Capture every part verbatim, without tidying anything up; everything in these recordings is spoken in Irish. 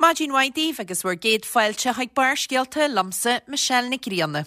Maidin mhaith daoibh agus bhur gcéad fáilte chuig Barrscéalta liomsa Michelle Nic Grianna.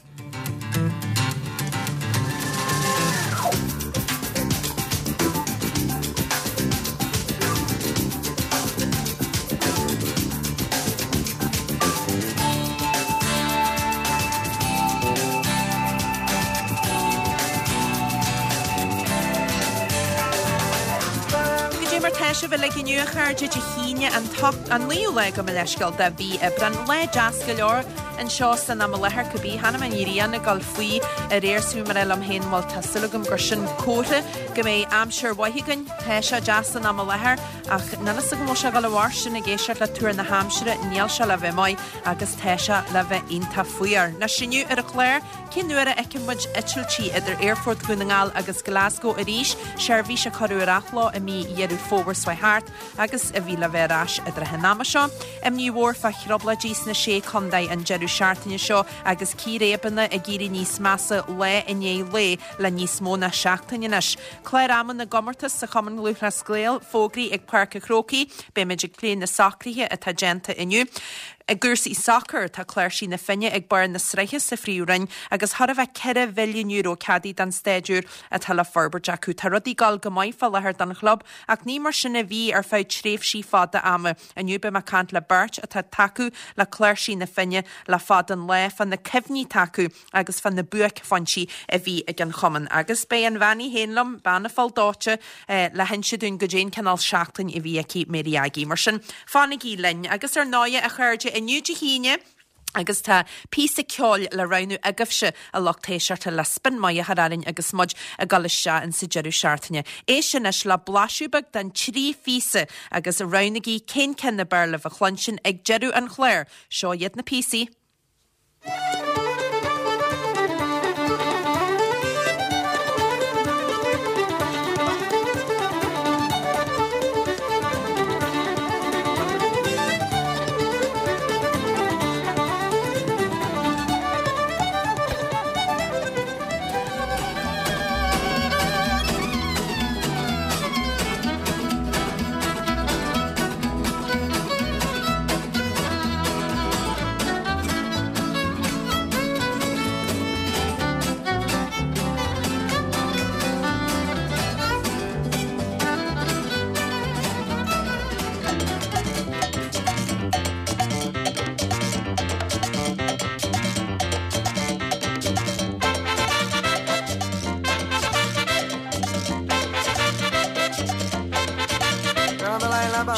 Goidé mar tá sibh uilig inniu a chairde Dé hAoine an an naoú lá gabh mo leithscéal de mhí Aibreán. Lá deas go leor anseo san am i láthair cibé chonaic mé an ghrian ag dul faoi aréir is bhí mé ag rá liom féin bhuel tá súil agam gur sin comhartha go mbeidh aimsir mhaith againn. Tá sé deas san am i láthair ach níl fhios agam bhfuil sé ag dul i bhfóirstean ag éisteacht le tuar na haimsire níl sé le bheith maith agus tá sé le bheith iontach fuar. Anois inniu ar an chlár cén uair a fheicfidh muid eitiltí idir Aerfort Dhún na nGall agus Glasgow arís, seirbhís a cuireadh ar athló i mí Dheireadh Fómhair seo thart agus a bhí le bheith ar ais i dtrátha an ama seo. Imní mhór fá thrioblóidí sna sé chontae an deireadh seachtaine seo agus círéibeanna ag éirí níos measa lá i ndiaidh lae le níos mó ná seachtain anois. Clár ama na gcomórtas sa Chumann Lúthchleas Gael fógraithe ag Páirc an Chrócaigh, beimid ag plé na socruithe atá déanta inniu. I gcúrsaí sacair, tá Cláirsigh na Finne ag barr na sraithe sa Phríomhroinn agus chóir a bheith ceithre mhilliún euro ceadaithe don staid úr atá le forbairt acu. Tá rudaí ag dul go maith fá láthair don chlub ach ní mar sin a bhí ar feadh tréimhsí fada ama. Inniu beidh mé ag caint le beirt atá ag tacú le Cláirsigh na Finne le fada an lá fá na cuimhní atá acu agus fá na buaicphointí a bhí ag an chumann. Agus beidh an bhean í féin liom, bean na Poll Dóite, le hinse dúinn goidé an cineál seachtain a bhí aici Mary Aggie. Mar sin, fanaigí linn. Agus ar ndóighe, a chairde, inniu Dé hAoine, agus tá píosa ceoil le roghnú agaibhse a lucht éisteachta le spin maith a chur orainn agus muid ag dul isteach insa deireadh seachtaine. Éist anois le blaiseadh beag den trí phíosa agus roghnaigí cén ceann ab fhearr libh a chluinstin ag deireadh an chláir. Seo iad na píosaí.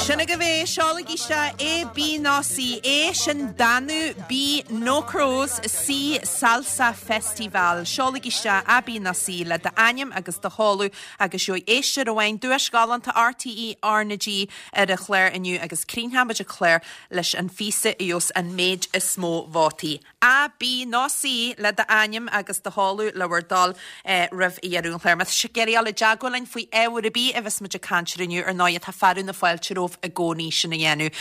Sin agaibh é, seolaigí isteach A, B nó C. A, sin Danú, B, No Crows, C, Salsa Festival. Seolaigí isteach A, B nó C le d'ainm agus do sheoladh agus gheobhaidh éisteoir amháin duais ghalánta RTÉ R na G ar an chlár inniu agus críochnóimid an clár leis an phíosa a gheobhas an méid is mó vótaí. A, B nó C le d'ainm agus do sheoladh le bhur dtoil roimh dheireadh an chláir. Má tá sibh ag iarraidh dul i dteagmháil linn faoi ábhar ar bith a bheas muid ag caint air inniu, ar ndóigh tá fearadh na fáilte romhaibh i gcónaí sin a dhéanamh.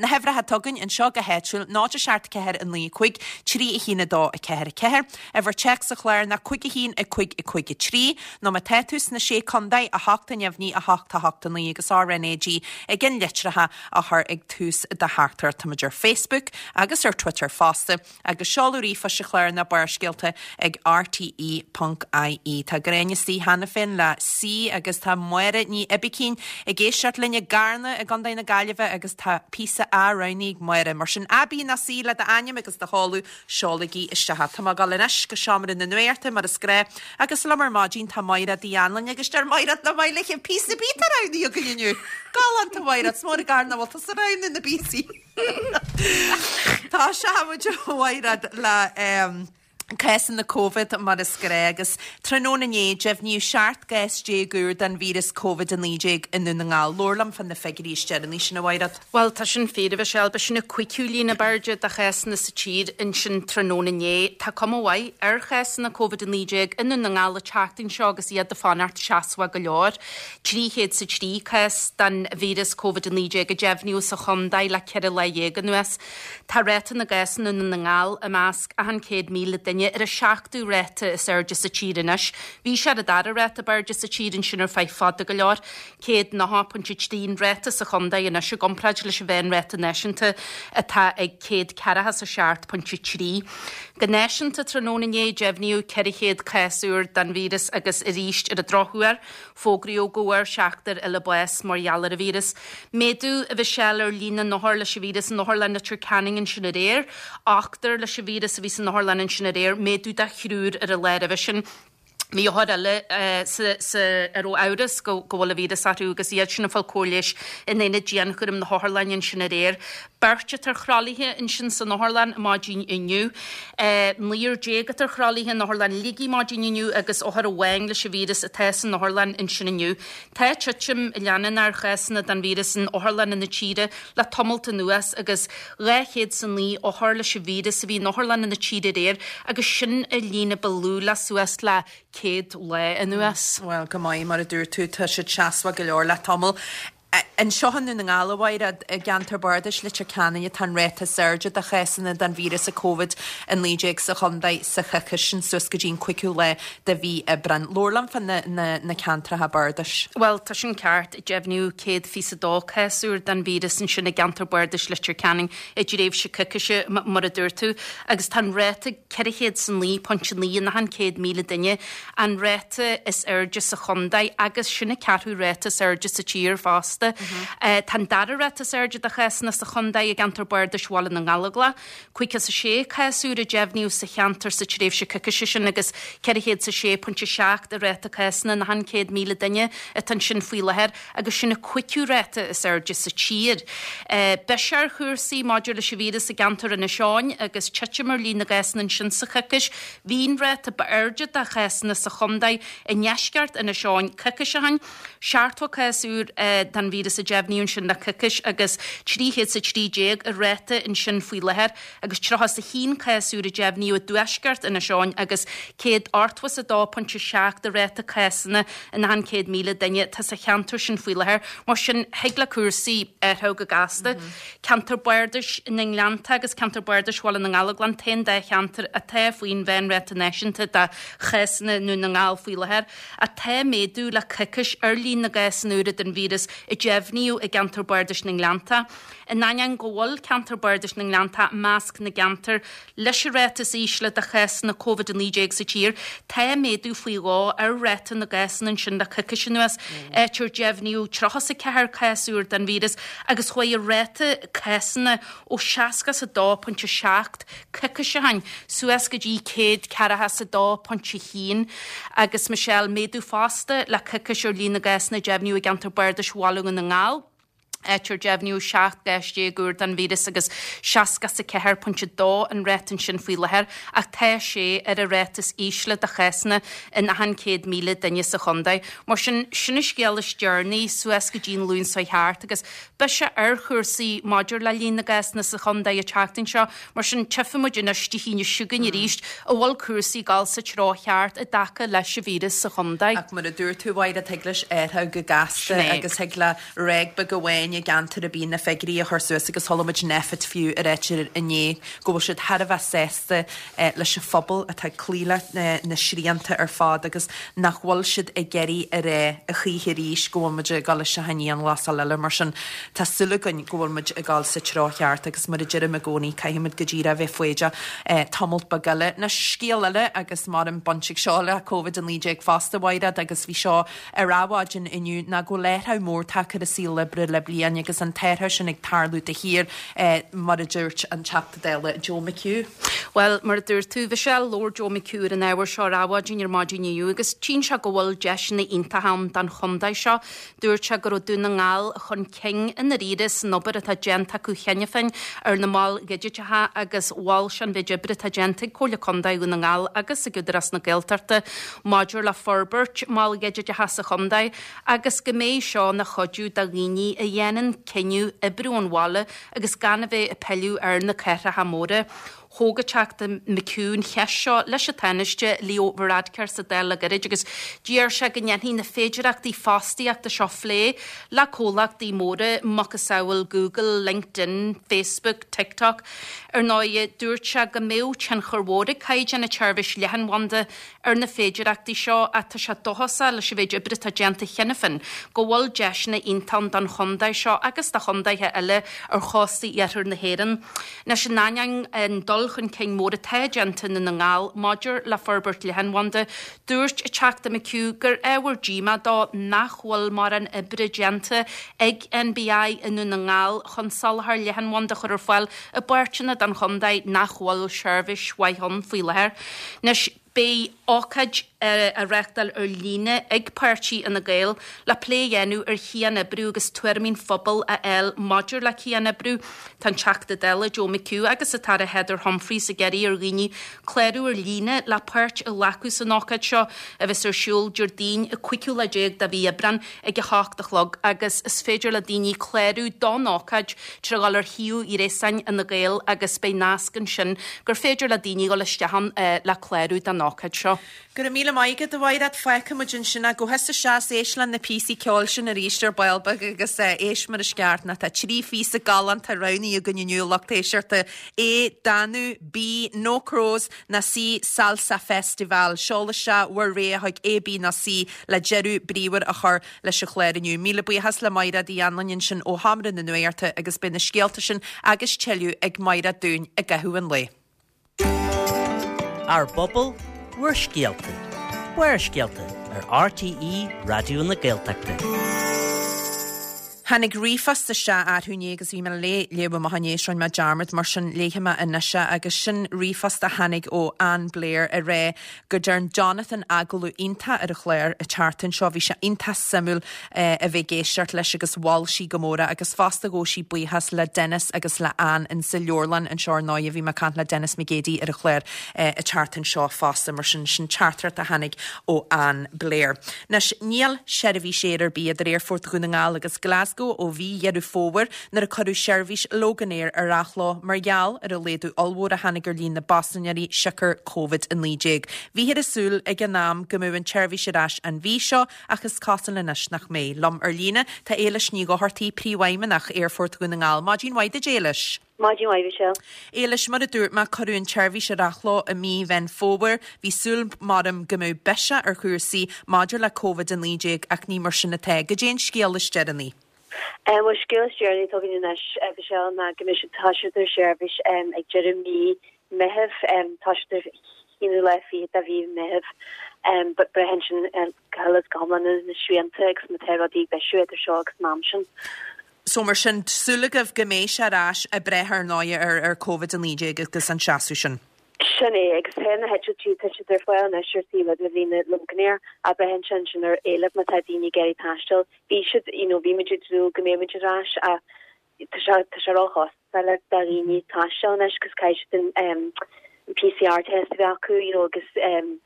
Na huimhreacha atá againn anseo go háitiúil, náid a seacht ceathair a naoi a cúig, trí a haon a dó a ceathair a ceathair. Uimhir téacs an chláir ná cúig a haon a cúig a cúig a trí, nó má tá tú sna Sé Contae, a hocht a neamhní a hocht a hocht a naoi agus RnaG ag an litreacha a chur ag tús do theachtaireacht. Táimid ar Facebook agus ar Twitter fosta agus seoladh ríomhphoist an chláir ná Barrscéalta ag rte ponc ie. Tá Gráinne istigh cheana féin le C agus tá Máire Ní Oibicín ag éisteacht linn i gCarna i gContae na Gaillimhe agus tá píosa A roghnaithe ag Máire. Mar sin A, B nó C le d'ainm agus do sheoladh, seolaigí isteach. Tá mé ag dul anois go seomra na nuachta mar is gnách agus liom ar maidin tá Maighread Uí Anluain agus deir Maighread nach maith léi an píosa B atá roghnaithe againn inniu. Galánta Mhaighread, is mór an gar nach bhfuil tusa ag roghnú na bpíosaí. Tá sé muid a Mhaighread le cásanna Covid mar is gnách agus tráthnóna inné deimhníodh seacht gcás déag úr den víreas Covid a naoi déag i nDún na nGall. Labhair liom fá na figiúirí is deireanaí sin a Mhaighread. Bhuel, tá sin fíor, a Mhichelle. B'shin an cúigiú líon ab airde de chásanna sa tír ansin tráthnóna inné. Tá cuma mhaith ar chásanna Covid a naoi déag i nDún na nGall an tseachtain seo agus iad ag fanacht seasmhach go leor. Trí chéad 's a trí cás den víreas Covid a naoi déag a deimhníodh sa chontae le ceithre lá dhéag anuas. Tá ráta na gcásanna i nDún na nGall i measc achan céad míle duine duine, ar an seachtú ráta is airde sa tír anois. Bhí sé ar an dara ráta ab airde sa tír ansin ar feadh fada go leor, céad nócha pointe trí an ráta sa chontae anois i gcomparáid leis an mheánráta náisiúnta atá ag céad ceathracha is a seacht pointe trí. Go náisiúnta tráthnóna inné, deimhníodh ceithre chéad cás úr den víreas agus arís ar an drochuair, fógraíodh go bhfuair seachtar eile bás mar gheall ar an víreas. Méadú, a Mhichelle, ar líon na n-othar leis an víreas in Otharlann Leitir Ceanainn ansin aréir. Ochtar leis an víreas a bhí san otharlann ansin aréir, méadú de thriúr ar an lá roimhe sin. Bhí othair eile sa sa a raibh amhras go go bhfuil an víreas orthu agus iad sin ag fáil cóir leighis in aonad dianchúraim na hotharlainne ansin aréir. Beirt atá ar thralaithe ansin san otharlann maidin inniu. Naonúr déag atá ar thralaithe in Otharlann Shligigh maidin inniu agus othar amháin leis an víreas atá san otharlann ansin inniu. Tá titim leanúnach ar chásanna den víreas in otharlanna na tíre le tamalt anuas agus dhá chéad 's a naoi othar leis an víreas a bhí in otharlanna na tíre aréir agus sin an líon a ba lú le suas le céad lá anuas. Bhuel, go maith, mar a dúirt tú, tá siad seasmhach go leor le tamall. Anseo i nDún na nGall, a Mháire, i gceantar bardais Leitir Ceanainn atá an ráta is airde de chásanna den víreas Covid a naoi déag sa chontae sa choicís sin suas go dtí an cúigiú lá de mhí Aibreáin. Labhair liom fá na ceantracha bardais. Bhuel, tá sin ceart. Deimhníodh céad fiche a dó cás úr den víreas ansin i gceantar bardais Leitir Ceanainn i dtréimhse coicíse, mar a dúirt tú, agus tá an ráta ceithre chéad 's a naoi pointe naoi in achan céad míle duine, an ráta is airde sa chontae agus sin an ceathrú ráta is airde sa tír fosta. Tá an dara ráta is airde de chásanna sa chontae i gceantar bardais Bhaile na nGallóglach, caoga 's a sé cás úr a deimhníodh sa cheantar sa tréimhse coicíse sin agus ceithre chéad 's a sé pointe seacht an ráta cásanna in achan céad míle duine atá ansin faoi láthair agus sin an cúigiú ráta is airde sa tír. Biseach ar chúrsaí maidir leis an víreas i gceantar Inis Eoghain agus titim ar líon na gcásanna ansin sa choicís. Bhí an ráta ba airde de chásanna sa chontae i ndeisceart Inis Eoghain coicís ó shin. Seachtó cás úr den víreas a deimhníodh ansin le coicís agus trí chéad 's a trí déag an ráta ansin faoi láthair agus tríocha 's a haon cás úr a deimhníodh i dtuaisceart Inis Eoghain agus céad ochtó 's a dó pointe seacht an ráta cásanna in achan céad míle duine atá sa cheantar sin faoi láthair. Mar sin, thig le cúrsaí athrú go gasta. Ceantar Bardais na nGleannta agus Ceantar Bardais Bhaile na nGallóglach an t-aon dá cheantar atá faoin mheánráta náisiúnta de chásanna i nDún na nGall faoi láthair. Ach tá méadú le coicís ar líon na gcásanna úra den víreas a deimhníodh i gceantar Bardais na nGleannta. In ainneoin go bhfuil ceantar Bardais na nGleannta i measc na gceantar leis an ráta is ísle de chásanna Covid a naoi déag sa tír, tá méadú faoi dhó ar ráta na gcásanna ansin le coicís anuas, áit ar deimhníodh tríocha 's a ceathair cás úr den víreas agus chuaigh an ráta cásanna ó seasca 's a dó pointe seacht coicís ó shin suas go dtí céad ceathracha 's a dó pointe haon agus Michelle, méadú fosta le coicís ar líon na gcásanna a deimhníodh i gceantar Bardais Bhaile Dhún na nGall, áit ar deimhníodh seacht gcás déag úr den víreas agus seasca 's a ceathair pointe dó an ráta ansin faoi láthair, ach tá sé ar an ráta is ísle de chásanna in achan céad míle duine sa chontae. Mar sin, sin an scéal is deireanaí suas go dtí an Luan seo thart agus biseach ar chúrsaí maidir le líon na gcásanna sa chontae an tseachtain seo. Mar sin, tchífidh muid anois Dé hAoine seo chugainn arís an bhfuil cúrsaí ag dul sa treo cheart i dtaca leis an víreas sa chontae. Ach mar a dúirt tú, a Mháire, thig leis athrú go gasta agus thig le ráig beag amháin i gceantar ar bith na figiúirí a chur suas agus chuala muid NPHET fiú ag ráit inné go bhfuil siad thar a bheith sásta leis an phobal atá ag cloí le na srianta ar fad agus nach bhfuil siad ag iarraidh a rá a choíche arís go bhfuil muid ag dul isteach i ndianghlasáil eile. Mar sin, tá súil againn go bhfuil muid ag dul sa treo cheart agus mar a deirim i gcónaí, caithfidh muid go díreach a bheith foighdeach tamalt beag eile. Anois, scéal eile agus maram baint ag seo le Covid a naoi déag fosta, a Mhaighread, agus bhí seo ar Adhmhaidin inniu, ná go bhfuil athrú mór tagtha ar an saol oibre le bliain agus an t-athrú sin ag tarlú de shíor, mar a dúirt an Teachta Dála Joe McHugh. Bhuel, mar a dúirt tú, Michelle, labhair Joe McHugh ar an ábhar seo ar Adhmhaidin ar maidin inniu agus tchíonn sé go bhfuil deiseanna iontacha ann don chontae seo. Dúirt sé go raibh Dún na nGall chun cinn i ndáiríre san obair atá déanta acu cheana féin ar na moil dhigiteacha agus mhol sé an mhéid oibre atá déanta ag Comhairle Contae Dhún na nGall agus ag Údarás na Gaeltachta maidir le forbairt moil dhigiteacha sa chontae agus go mbeidh seo ina chuidiú do dhaoine a dhéanann cinneadh oibriú ón bhaile agus gan a bheith ag pilleadh ar na cathracha móra. Thóg an Teachta McHugh an cheist seo leis an Tánaiste Leo Varadkar sa Dáil le gairid agus d'iarr sé go ndéanfaí na féidearthachtaí fostaíochta seo a phlé le comhlachtaí móra macasamhail Google, LinkedIn, Facebook, TikTok. Ar ndóigh, dúirt sé go mbeadh tionchar mhór ag caighdeán na seirbhíse leathanbhanda ar na féidearthachtaí seo ach tá sé dóchasach leis an mhéid oibre atá déanta cheana féin go bhfuil deiseanna iontacha ann don chontae seo agus do chontaetha eile ar chósta iarthar na hÉireann. Anois in ainneoin an dul chun cinn mór atá déanta i nDún na nGall maidir le forbairt leathanbhanda, dúirt an Teachta McHugh gur ábhar díomá dó nach bhfuil mórán oibre déanta ag NBI i nDún na nGall chun soláthar leathanbhanda a chur ar fáil i bpáirteanna den chontae nach bhfuil seirbhís mhaith ann faoi láthair. Anois beidh ócáid á reáchtáil ar líne ag páirtí Fhine Gael le plé a dhéanamh ar chianoibriú agus tuairimí an phobail a fháil maidir le cianoibriú. Tá an Teachta Dála Joe McHugh agus an tAire Heather Humphreys ag iarraidh ar dhaoine clárú ar líne le páirt a ghlacadh san ócáid seo a bheas ar siúl Déardaoin an cúigiú lá déag de mhí Aibreán ag a hocht a chlog agus is féidir le daoine clárú don ócáid trí dhul ar shuíomh gréasáin Fhine Gael agus beidh nasc ansin gur féidir le daoine dhul isteach ann le clárú don ócáid seo. Go raibh míle maith agat, a Mhaighread. Fágfaidh muid ansin é. Gabh thusa isteach is éist le na píosaí ceoil sin arís ar ball beag agus éist mar is ceart. Nó tá trí phíosa galánta roghnaithe againn inniu, lucht éisteachta. A, Danú, B, No Crows, nó C, Salsa Festival. Seol isteach bhur rogha chuig A, B nó C le deireadh bríomhar a chur leis an chlár inniu. Míle buíochas le Maighread Uí Anluain ansin ó Sheomra na Nuachta agus beidh na scéalta sin agus tuilleadh ag Maighread dúinn i gcaitheamh an lae. Ár bpobal, bhur scéalta. Barrscéalta ar RTÉ Raidió na Gaeltachta. Tháinig ríomhphost isteach arú inné agus bhí mé le léamh amach inné is rinne mé dearmad mar sin léifidh mé anois é agus sin ríomhphost a tháinig ó Ann Blair a rá go dtearn Jonathan agallamh iontach ar an chlár an tseachtain seo bhí sé iontach suimiúil a bheith ag éisteacht leis agus mhol sí go mór é agus fosta ghabh sí buíochas le Dennis agus le Ann in sa leabharlann anseo ar ndóigh bhí mé ag caint le Dennis McGeady ar an chlár an tseachtain seo fosta mar sin sin teachtaireacht a tháinig ó Ann Blair. Anois níl seirbhís aeir ar bith idir Aerfort Dhún na nGall agus Glasgow ó mhí Dheireadh Fómhair nuair a cuireadh seirbhís Loganair ar athló mar gheall ar an laghdú ollmhór a tháinig ar líon na bpaisinéirí siocair Covid a naoi déag. Bhíothas ag súil ag an am go mbeadh an tseirbhís ar ais an mhí seo ach is cosúil anois nach mbeidh. Liom ar líne tá Éilis Ní Dhochartaigh Príomhfheidhmeannach Aerfort Dhún na nGall. Maidin mhaith duit Éilis. Maidin mhaith Michelle. Éilis mar a dúirt mé cuireadh an tseirbhís ar athló i mí Mheán Fómhair, bhí súil maram go mbeadh biseach ar chúrsaí maidir le Covid a naoi déag ach ní mar sin atá. Goidé an scéal is deireanaí. Um, well scéal is deireanaí atá againn anois Michelle ná go mbeidh siad tá siad ar seirbhís um, ag deireadh mí Meitheamh um, tá siad ar haonú lá fiche de mhí Meitheamh um, but braitheann sin go huile is go hiomlán na srianta agus má tá rudaí ag bisiú idir seo agus an am sin. So mar sin súil agaibh go mbeidh sé ar ais ag brath ar ndóigh ar ar Covid a naoi déag agus an seasamh sin. Sin é agus tá na heitiltí tá siad ar fáil anois ar taobh le líne Loganair a braitheann sin sin ar éileamh má tá daoine ag iarraidh taisteal. Bhí siad you know, bhí muid ag dúil go mbeidh muid ar ais a tá sé tá sé róchostasach le daoine taisteal anois cos caithfidh siad an um, PCR test a bheith acu you know, agus um,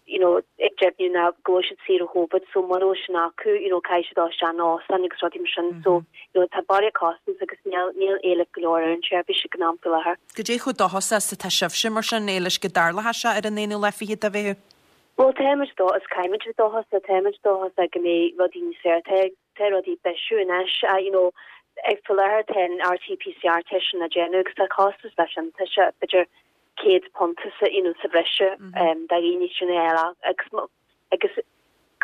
you know, ag deimhniú ná go bhfuil siad saor ó Covid so mura bhfuil sin acu you know, caithfidh siad dul isteach in óstán agus rudaí mar sin so you know, tá barraíocht costas agus níl níl éileamh go leor ar an tseirbhís ag an am faoi láthair. Goidé chomh dóchasach is atá sibhse mar sin Éilis go dtarlóidh sé ar an aonú lá fiche de Mheitheamh? Well táimid dó is caithfimid dóchas táimid dóchasach go mbeidh rudaí níos fearr tá tá rudaí bisiú anois uh, you know, ag faoi láthair tá an RT-PCR test sin á déanamh agus tá costas leis sin tá sé b'fhéidir céad punt sa you know, sa bhreis um, do dhaoine sin eile agus agus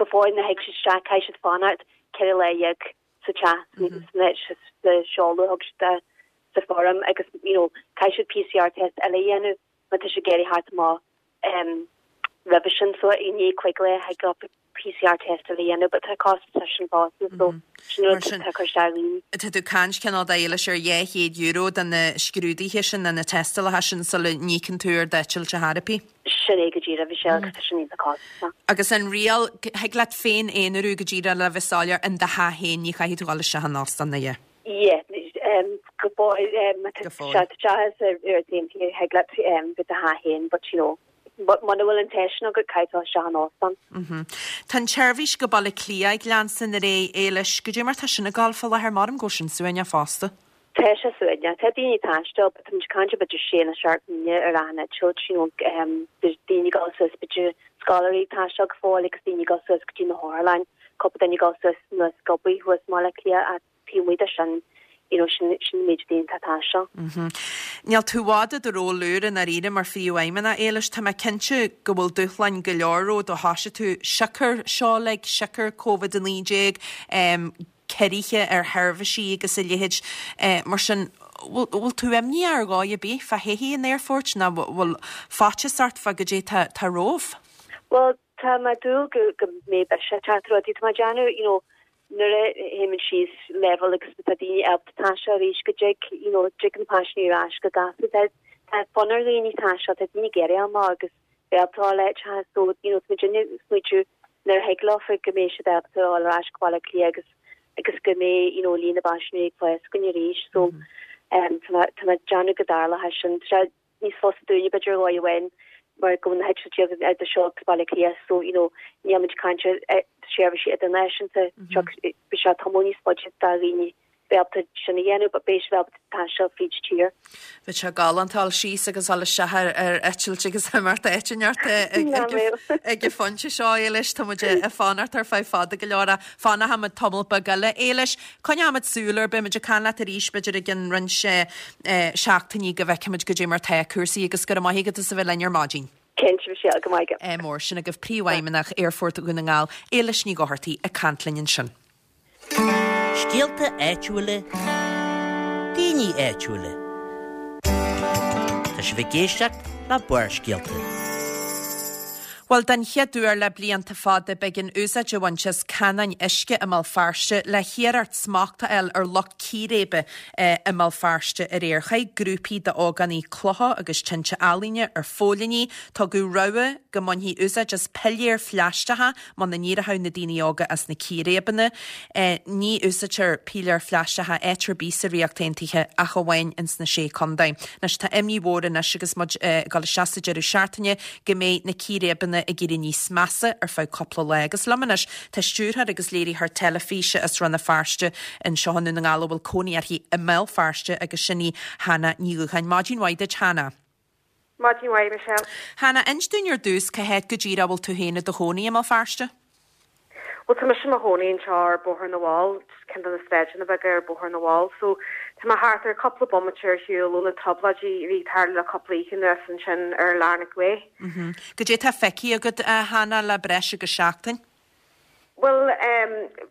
go fóill na thig siad isteach caithfidh siad fanacht ceithre lá dhéag sa teach sa seoladh thug siad sa form agus you know, caithfidh siad PCR test eile a dhéanamh má tá siad ag iarraidh theacht amach um, roimhe sin so i ndiaidh cúig lá thig leo PCR test eile a dhéanamh, but tá costas leis sin fosta so sin rud atá cur isteach ar dhaoine. Tá tú ag caint cineál d'Éilis ar dhá chéad euro do na scrúduithe sin na tástálacha sin sula n-íocann tú ar d'eitilt ar chor ar bith. Sin é go díreach Michelle agus tá sin iontach costasach. Agus an riail thig leat féin aonarú go díreach le bheith soiléir in do theach féin ní chaithfidh tú dul isteach in óstán na dhe. Yeah, um, go fóill um, Go fóill. sé teach ar ar an thig leat um, go do theach féin, but you know, but muna bhfuil an test sin agat caithfidh tú isteach in óstán. Tá an tseirbhís go Baile Átha Cliath ag leanstan ar aghaidh Éilis, goidé mar tá sin ag dul fá láthair maram go sin suaimhneach fosta. Tá sé suaimhneach. Tá daoine ag taisteal, but táimid ag caint b'fhéidir sé nó seacht míle ar achan eitilt, you know, um, daoine ag dul suas b'fhéidir scoláirí ag taisteal go fóill agus daoine ag dul suas go dtí na hotharlann, cúpla duine ag dul suas anuas ag obair thuas i mBaile Átha Cliath ach taobh amuigh de sin, you know, sin sin an méid daoine atá ag taisteal. Níl tú i bhfad i do ról úr i ndáiríre mar phríomhfheidhmeannach, Éilis. Tá mé cinnte go bhfuil dúshláin go leor romhat ó thoisigh tú siocair seo like, siocair Covid a naoi déag, ciorruithe ar sheirbhísí agus a leithéid. Mar sin, bhfuil tú imníoch ar dhóigh ar bith fá thodhchaí an aerfoirt nó bhfuil faitíos ort fá goidé tá tá romhaibh? Bhuel, tá mé ag dúil go go mbeidh biseach ag teacht ar rudaí. Tá mé ag déanamh, you know, nuair a théimid síos leibhéal agus tá daoine ábalta taisteal arís go dtig, you know, dtig na paisinéirí ar ais go gasta. Tá tá fonn ar dhaoine taisteal, tá daoine ag iarraidh amach agus bheith ábalta a fháil áiteacha so, you know, tá muid ag smaoitiú nuair a thig leofa go mbeidh siad ábalta a fháil ar ais go Baile Átha Cliath agus agus go mbeidh you know líon na bpaisinéirí ag fás againn arís so um tá mé tá mé ag déanamh go dtarlóidh sin. Tá sé níos fusa dúinne b'fhéidir ar dhóigh amháin mar go bhfuil na heitiltí againn idir seo agus Baile Átha Cliath so you know níl muid ag caint ar seirbhísí idirnáisiúnta seo beidh sé tamall níos faide do dhaoine bheith ábalta sin a dhéanamh but beidh siad ábalta taisteal fríd tír. Bheadh sé galánta dul síos agus dul isteach ar ar eitilt agus imeacht áit inteacht ag an phointe seo, Éilis, tá muid ag fanacht ar feadh fada go leor ach fanfaimid tamall beag eile. Éilis, coinneoimid súil air, beimid ag caint leat arís b'fhéidir i gcionn roinnt seachtainí go bhfeicfimid goidé mar tá cúrsaí agus go raibh maith agat as a bheith linn ar maidin. Cinnte, Michelle, go maith agat. Mór sin agaibh Príomhfheidhmeannach Aerfort Dhún na nGall, Éilis Ní Dhochartaigh ag caint linn ansin. Scéalta áitiúla, daoine áitiúla. Tá sibh ag éisteacht le Barrscéalta. Bhuel, den chéad uair le blianta fada beidh an úsáid a bhaint as canáin uisce i mBéal Feirste le hiarracht smacht a fháil ar lucht círéibe i mBéal Feirste aréir. Chaith grúpaí d'ógánaigh clocha agus tinte ealaíne ar phóilíní. Tugadh rabhadh go mbainfí úsáid as piléir phlaisteacha muna n-éireodh na daoine óga as na círéibeanna. Ní úsáidtear piléir phlaisteacha áit ar bith sa Ríocht Aontaithe ach amháin ins na Sé Chontae. Anois tá imní mhór anois agus muid ag dul isteach sa deireadh seachtaine go mbeidh na círéibeanna ag éirí níos measa ar feadh cúpla lá. Agus liom anois tá stiúrthóir agus léiritheoir teilifíse as Rann na Feirste anseo i nDún na nGall a bhfuil cónaí uirthi i mBéal Feirste agus sin í Hannah Ní Dhúcháin. Maidin mhaith duit, Hannah. Maidin mhaith, Michelle. Hannah, inis dúinn ar dtús cá háit go díreach a bhfuil tú féin i do chónaí i mBéal Feirste? Well tá mise i mo chónaí anseo ar Bóthar na bhFál, ceann de na sráideanna beaga ar Bóthar na bhFál, so tá mé thart ar cúpla bomaite ar shiúl ó na trioblóidí a bhí ag tarlú le cúpla oíche anuas ansin ar Larnach Way. Goidé tá feicthe agat, a Hannah, le breis agus seachtain? Bhuel,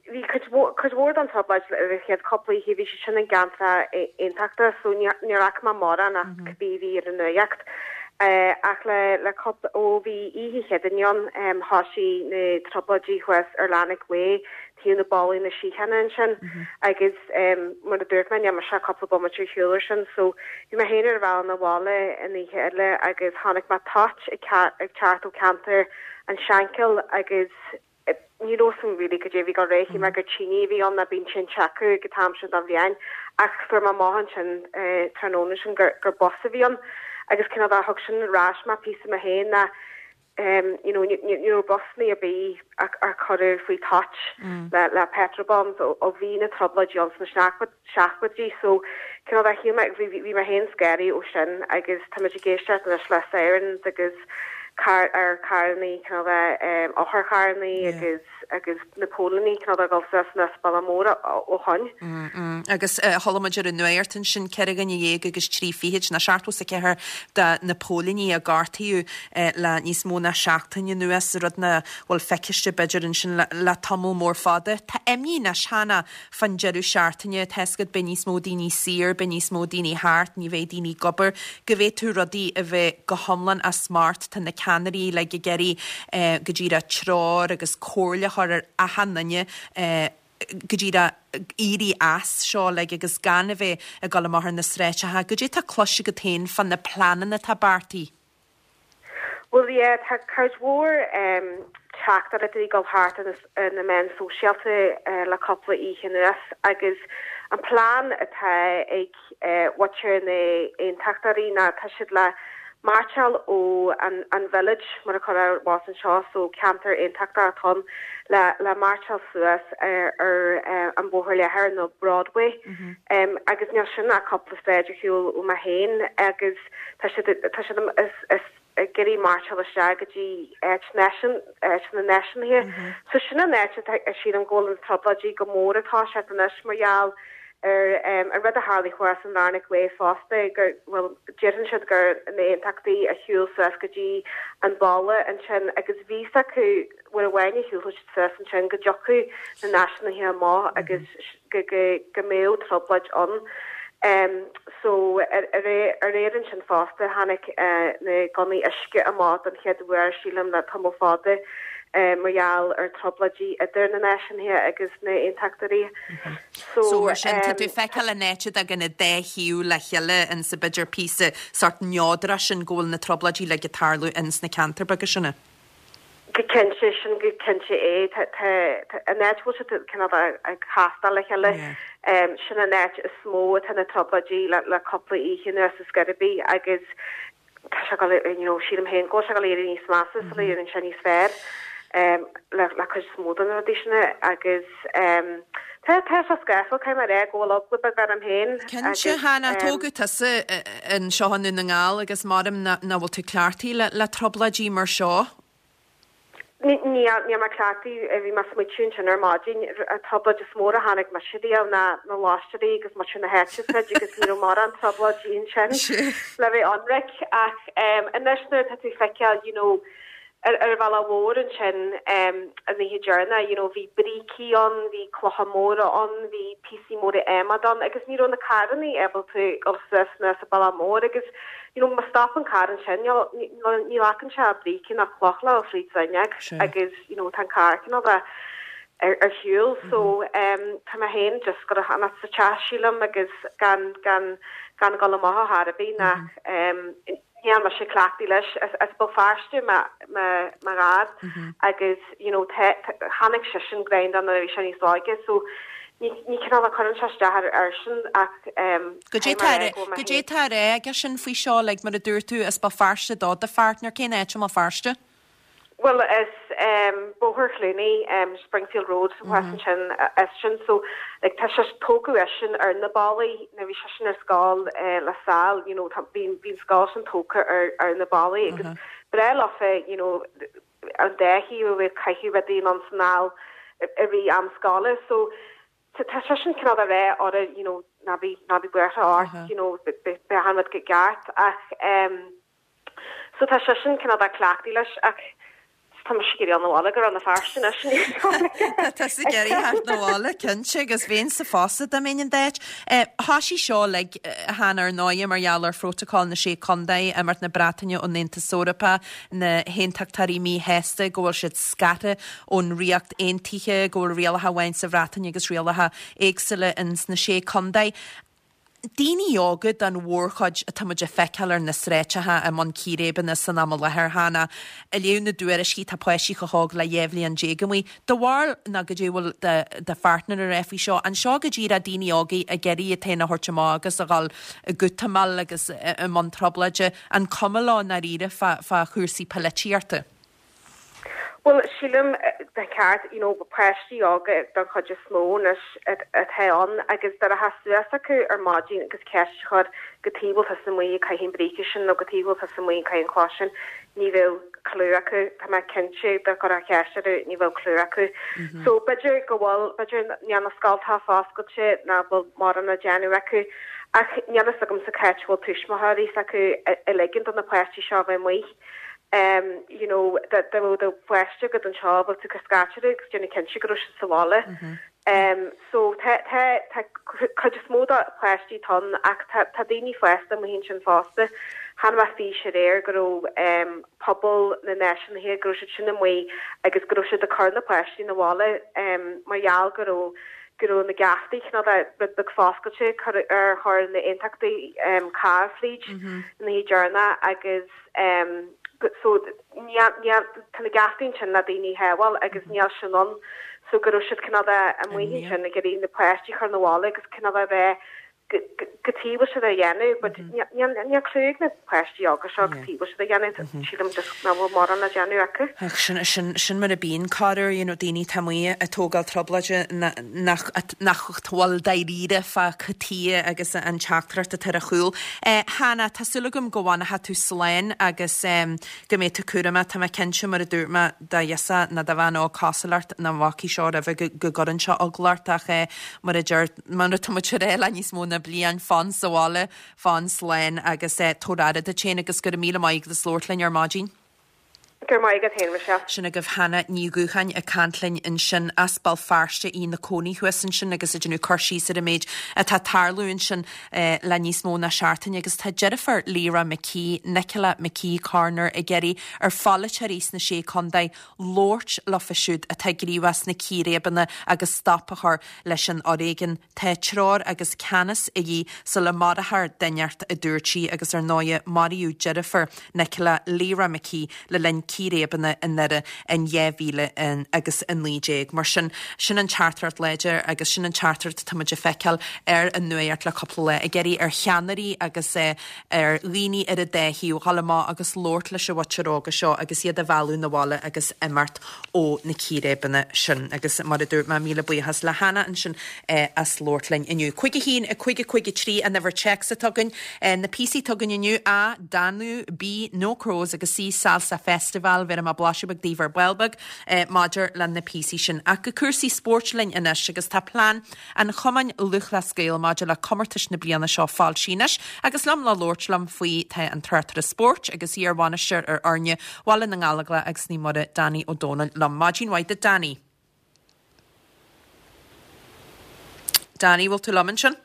bhí cuid cuid mhór den trioblóid ar an chéad cúpla oíche, bhí sé sin i gceantar Aontachta, so níor fhaca mé mórán ach cibé a bhí ar an nuacht. Ach le le cúpla, ó bhí oíche Chéadaoin ann, thosaigh na trioblóidí thuas ar Larnach Way, taobh na ballaí na síochána ansin agus mar a dúirt mé, níl mise ach cúpla bomaite ar shiúl air sin. So bhí mé féin ar an bhealach 'na bhaile an oíche eile agus chonaic mé toit ag teacht ó cheantar an Shankill agus ní raibh a fhios agam really goidé a bhí ag dul ar aghaidh, shíl mé gur tine a bhí ann, ná bíonn tinte acu ag an t-am sin den bhliain, ach fuair mé amach ansin tráthnóna sin gur gur bus a bhí ann agus cineál de thug sin ar ais mé píosa mé féin ná you know ní ní raibh busanna ar bith a a cuireadh faoi toit le le petrol bombs ó ó bhí na trioblóidí ann sna seachtóidí so cineál de shíl mé bhí bhí mé féin scanraithe ó sin agus táimid ag éisteacht anois le sirens agus car ar carrannaí cineál de otharcharrannaí agus agus na póilíní cineál de ag dul suas anuas bealach mór ó shoin. Agus chuala muid ar an nuacht ansin ceithre dhuine dhéag agus trí fichid nó seachtó is a ceathair de na póilíní a gortaíodh le níos mó ná seachtain anuas, rud nach bhfuil feiciste b'fhéidir ansin le tamall mór fada. Tá imní anois Hannah fán deireadh seachtaine, tá fhios agat beidh níos mó daoine saor, beidh níos mó daoine thart, ní bheidh daoine ag obair, go bhféadfadh rudaí a bheith go hiomlán as smacht, tá na ceannairí uilig ag iarraidh go díreach treoir agus comhairle a chur ar achan duine go díreach éirí as seo uilig agus gan a bheith ag dul amach ar na sráideacha. Goidé tá cloiste agat féin fá na pleananna atá beartaithe? Bhuel yeah, tá cuid mhór teachtaireachtaí ag dul thart ar na meáin sóisialta le cúpla oíche anuas agus an plean atá ag muintir na nAontachtóirí ná tá siad le mairseáil ó an an village mar a chur was anseo so ceantar aontachtach atá ann le le mairseáil suas ar ar uh, an Bóthar Leathair nó Broadway mm -hmm. um, agus níl sin ach cúpla sráid ar shiúl ó mé féin agus tá siad tá siad is is ag iarraidh mairseáil isteach go dtí áit nation áit na náisiúnaithe mm -hmm. so sin an áit a sílim go bhfuil an trioblóidí go mór atá sé anois mar gheall ar um, an rud a tharla thuas an Larnach Way fosta gur well deireann siad gur na aontachtaí a shiúil suas go dtí an balla ansin agus bhí acu bhfuil amháin a shiúil suas ansin go dtiocfadh na náisiúnaithe amach agus go go go mbeadh trioblóid ann. Um, so ar aréir ansin fosta tháinig uh, na gunnaí uisce amach den chéad uair sílim le tamall fada uh, mar gheall ar trioblóidí idir na náisiúnaithe agus na aontachtóirí. So, so mar sin tá tú feiceáil an áit ag an dá thaobh le chéile in sa b'fhéidir píosa sort neodrach sin go bhfuil na trioblóidí le tarlú in sna ceantair beaga sinne. Go cinnte sin go cinnte é an áit bhfuil siad cineál ag castáil le chéile sin an áit is mó atá na trioblóidí le le cúpla oíche anuas is gurb agus tá sé you know sílim féin go sé éirí níos measa sula éiríonn sé níos fearr um, le le cuid is mó de na rudaí sin agus um, Tá tá sé scáfil cai mar é go bhfuil eagla beag orm féin. Cinnte Hannah tógadh tusa anseo i nDún na nGall agus maram na bhfuil tú cleachtaithe le le trioblóidí mar seo. Ní ní mar cleachtaí bhí mé smaointiú sin ar maidin an trioblóid is mór a tháinig mar si na na láisteí agus mar sin na heite agus ní mar an trioblóidí sin le bheith ionraic ach anois nuair tá tú feiceáil you know, ar ar bhealach mhór ansin um, an oíche dheireanach you know, bhí brící ann, bhí clocha móra ann, bhí píosaí móra adhmaid ann, agus ní raibh na carranna ábalta dul suas na sa bealach mór agus you know, má stopann carr ansin ní ghlacann sé brící ná cloch le fríd fuinneog agus you know, tá an carr cineál ar ar shiúl so um, tá mé féin just go an sa teach sílim agus gan gan gan dul amach ar bith nach um, níl mé sé cleachtaithe leis as Béal Feirste mo dhaid agus you know tháinig sé sin grein an bhí sé níos óige so ní ní cineál a chuireann sé isteach ar sin ach Goidé tá aige sin faoi seo le mar a dúirt tú as Béal Feirste do do pháirtnéir cén áit i mBéal Feirste? Well is um, Bóthar Chluanaí um, Springfield Road mm -hmm. sin is sin so like, tá sé tógadh é sin ar na ballaí na bhí sé sin ar scoil uh, La Salle you know, bhí bhí scoil sin tógtha ar, ar na ballaí agus mm -hmm. breá leofa you know, an dechi bh caiihi rudaí an snáil i rith am scoile so tá sé sin cineál a rá or you know, ná bí ná bí buartha ort you know, beidh an rud go ceart ach um, so tá sé sin cineál cleachtaithe leis ach tá mé ag iarraidh an bhaile go na fearsin Tá ag iarraidh na bhaile cinnte agus bheinn sa fosta dá mbeinn in d'áit. Tá sí seo le han ar ndóigh mar gheall ar phrotocol na sé contae imeacht na Breataine ón Aontas Eorpach na haontachtóirí míshásta go bhfuil siad scartha ón Ríocht Aontaithe go bhfuil rialacha amháin sa Bhreatain agus rialacha éagsúla ins na sé contae. Daoine óga den mhórchuid atá muid ag feiceáil ar na sráideacha i mbun círéibeanna san am i láthair cheana. I léamh na dtuairiscí tá páistí chomh hóg le dhá bhliain déag amuigh. Do bharúil ná goidé bhfuil do pháirtnéir a rá faoi seo, an seo go díreach daoine óga ag iarraidh iad féin a thabhairt amach agus a dhul i gútamáil agus i mbun trioblóide, an cuma leo i ndáiríre fá fá chúrsaí polaitíochta? Well sílim de ceart you know, páistí óga den chuid is mó anois atá ann agus dar a theastaigh acu ar maidin agus ceist chur cad chuige bhfuil tusa amuigh ag caitheamh bríce sin nó cad chuige bhfuil tusa amuigh ag caitheamh cloch sin ní bheadh clue acu Tá mé cinnte dá gcuirfeá ceist orthu ní bheadh clue acu. Mm -hmm. So b'fhéidir go bhfuil b'fhéidir níl na scoltacha foscailte ná bhfuil mórán á déanamh acu ach níl a fhios agamsa cá bhfuil tuismitheoirí acu a ligean do na páistí seo bheith amuigh. um, you know, dá mbeadh do pháiste agat anseo bheadh tú ag scairteadh agus déanamh cinnte go raibh siad sa bhaile. Mm -hmm. Um, so tá tá tá cuid is mó de páistí ann ach tá tá daoine fásta amuigh ansin fosta. Chonaic mé fís aréir go raibh um, pobal na náisiúnaithe go raibh siad sin amuigh agus go raibh siad ag cur na páistí na bhaile um, mar gheall go raibh go raibh na geaftaí cineál rud beag foscailte ar chuir na aontachtaí um, carr fríd mm -hmm. na hidéarna agus um, so tá na geaftaí sin le daoine a shábháil agus níl sin ann so go raibh siad cineál amuigh sin ag iarraidh na páistí chur na bhaile agus cineál a bheith Cad chuige a bhfuil siad á dhéanamh, but níl clue ag na páistí óga seo cad chuige a bhfuil siad á dhéanamh, sílim just nach bhfuil mórán le déanamh acu. Ach sin, sin, sin mar a bíonn corruair, you know, daoine atá amuigh ag tógáil trioblóide nach, nach bhfuil dáiríre fá cad chuige agus an teachtaireacht atá ar a chúl. Eh, Hannah, tá súil agam go bhfanfaidh tú slán agus em, go mbeidh tú cúramach, tá mé cinnte mar a dúirt mé do ghirseach nó do bhean óg cosúil leat nach bhfacaidh seo roimhe go, go gcuireann seo eagla ort ach eh, mar a deir, mar atá muid ag rá le níos mó ná bliain, fan sa bhaile, fan slán agus tabhair aire duit féin agus go raibh míle maith agat as labhairt linn ar maidin. Go raibh maith agat féin, Michelle. Sin agaibh Hannah Ní Dhúcháin ag caint linn ansin as Béal Feirste, í ina cónaí thuas ansin agus ag déanamh cur síos ar an méid atá ag tarlú ansin le níos mó ná seachtain agus tá deirfiúr Lyra McKee, Nicola McKee Corner ag iarraidh ar pholaiteoirí sna Sé Contae labhairt leofa siúd atá gníomhach sna círéibeanna agus stop a chur leis an fhoréigean. Tá treoir agus ceannas a dhíth sula marófar duine inteacht, a dúirt sí, agus ar ndóigh maraíodh deirfiúr Nicola, Lyra McKee, le linn círéibeanna i nDoire in dhá mhíle agus a naoi déag. Mar sin, sin an teachtaireacht láidir agus sin an teachtaireacht atá muid ag feiceáil ar an nuacht le cúpla lá, ag iarraidh ar cheannairí agus ar dhaoine ar an dá thaobh dhul amach agus labhairt leis an mhuintir óga seo agus iad a mhealladh 'na bhaile agus imeacht ó na círéibeanna sin. Agus mar a dúirt mé, míle buíochas le Hannah ansin as labhairt linn inniu. Cúig a haon, a cúig a cúig a trí an uimhir téacs atá againn. Na píosaí atá againn inniu, A, Danú, B, No Crows agus C, Salsa Festival. Bhéarfaidh mé blaiseadh beag daoibh ar ball beag maidir le na píosaí sin. Ach go cúrsaí spóirt linn anois agus tá plean an Chumainn Lúthchleas Gael maidir le comórtais na bliana seo foilsithe anois agus liom le labhairt liom faoi tá an tráchtaire spóirt agus iar-bhainisteoir ar fhoirne Bhaile na nGallóglach agus Naomh Muire, Danny Ó Domhnaill liom. Maidin mhaith duit Danny. Danny, bhfuil tú liom ansin?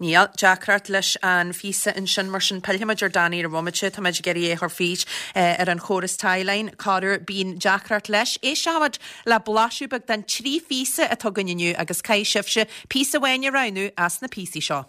Níl. Deacracht leis an phíosa ansin, mar sin pillfimid ar Danny ar bhomaite. Tá muid ag iarraidh é a chur fríd ar an chóras Tieline. Corruair bíonn deacracht leis. Éisteoimid le blaiseadh beag den trí phíosa atá againn inniu agus caithfidh sibhse píosa amháin a roghnú as na píosaí seo.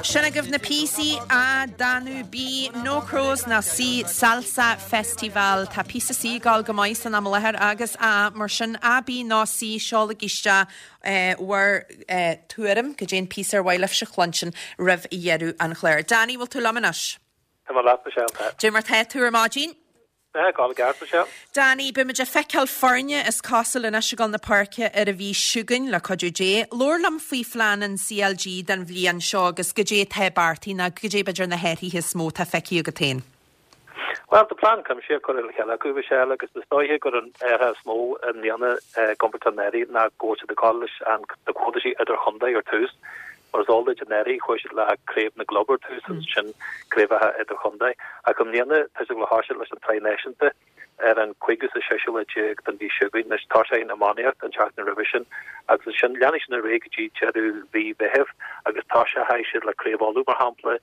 Sin agaibh na píosaí, A, Danú, B, No Crows nó C, Salsa Festival. Tá píosa C ag gabháil go maith san am i láthair agus A, mar sin A, B nó C, seolaigí isteach bhur tuairim, cad é an píosa ar mhaith libhse a chluinstin roimh dheireadh an chláir. Danny, bhfuil tú liom anois? Tá mé leat, Michelle, tá. Cad é mar tá tú ar maidin? Tá, ag gabháil i gceart, Michelle. Danny, beidh muid ag feiceáil foirne is cosúil anois ag dul na páirce ar an mhí seo chugainn, le cuidiú Dé. Labhair liom faoi phlean an CLG don bhliain seo agus cad é atá beartaithe nó cad é b'fhéidir na hathruithe is mó atá feicthe agat féin. Bhuel, tá plean cuimsitheach curtha le chéile acu, Michelle, agus is dóiche gur an athrú is mó i mbliana i gcomparáid le anuraidh ná go bhfuil siad ag dul leis an na comórtaisí idirchontae ar tús. Mar is eol duit, anuraidh chuaigh siad le Craobh na gClub ar tús agus ansin craobhacha idirchontae. Ach i mbliana tá siad ag dul a thoiseacht leis an tSraith Náisiúnta ar an cúigiú is a séú lá déag den mhí seo chugainn. Anois toiseoidh an iománaíocht an tseachtain roimhe sin agus ansin leanfaidh sin ar aghaidh go dtí deireadh mhí Mheithimh agus toiseoidh siad le Craobh Uladh mar shampla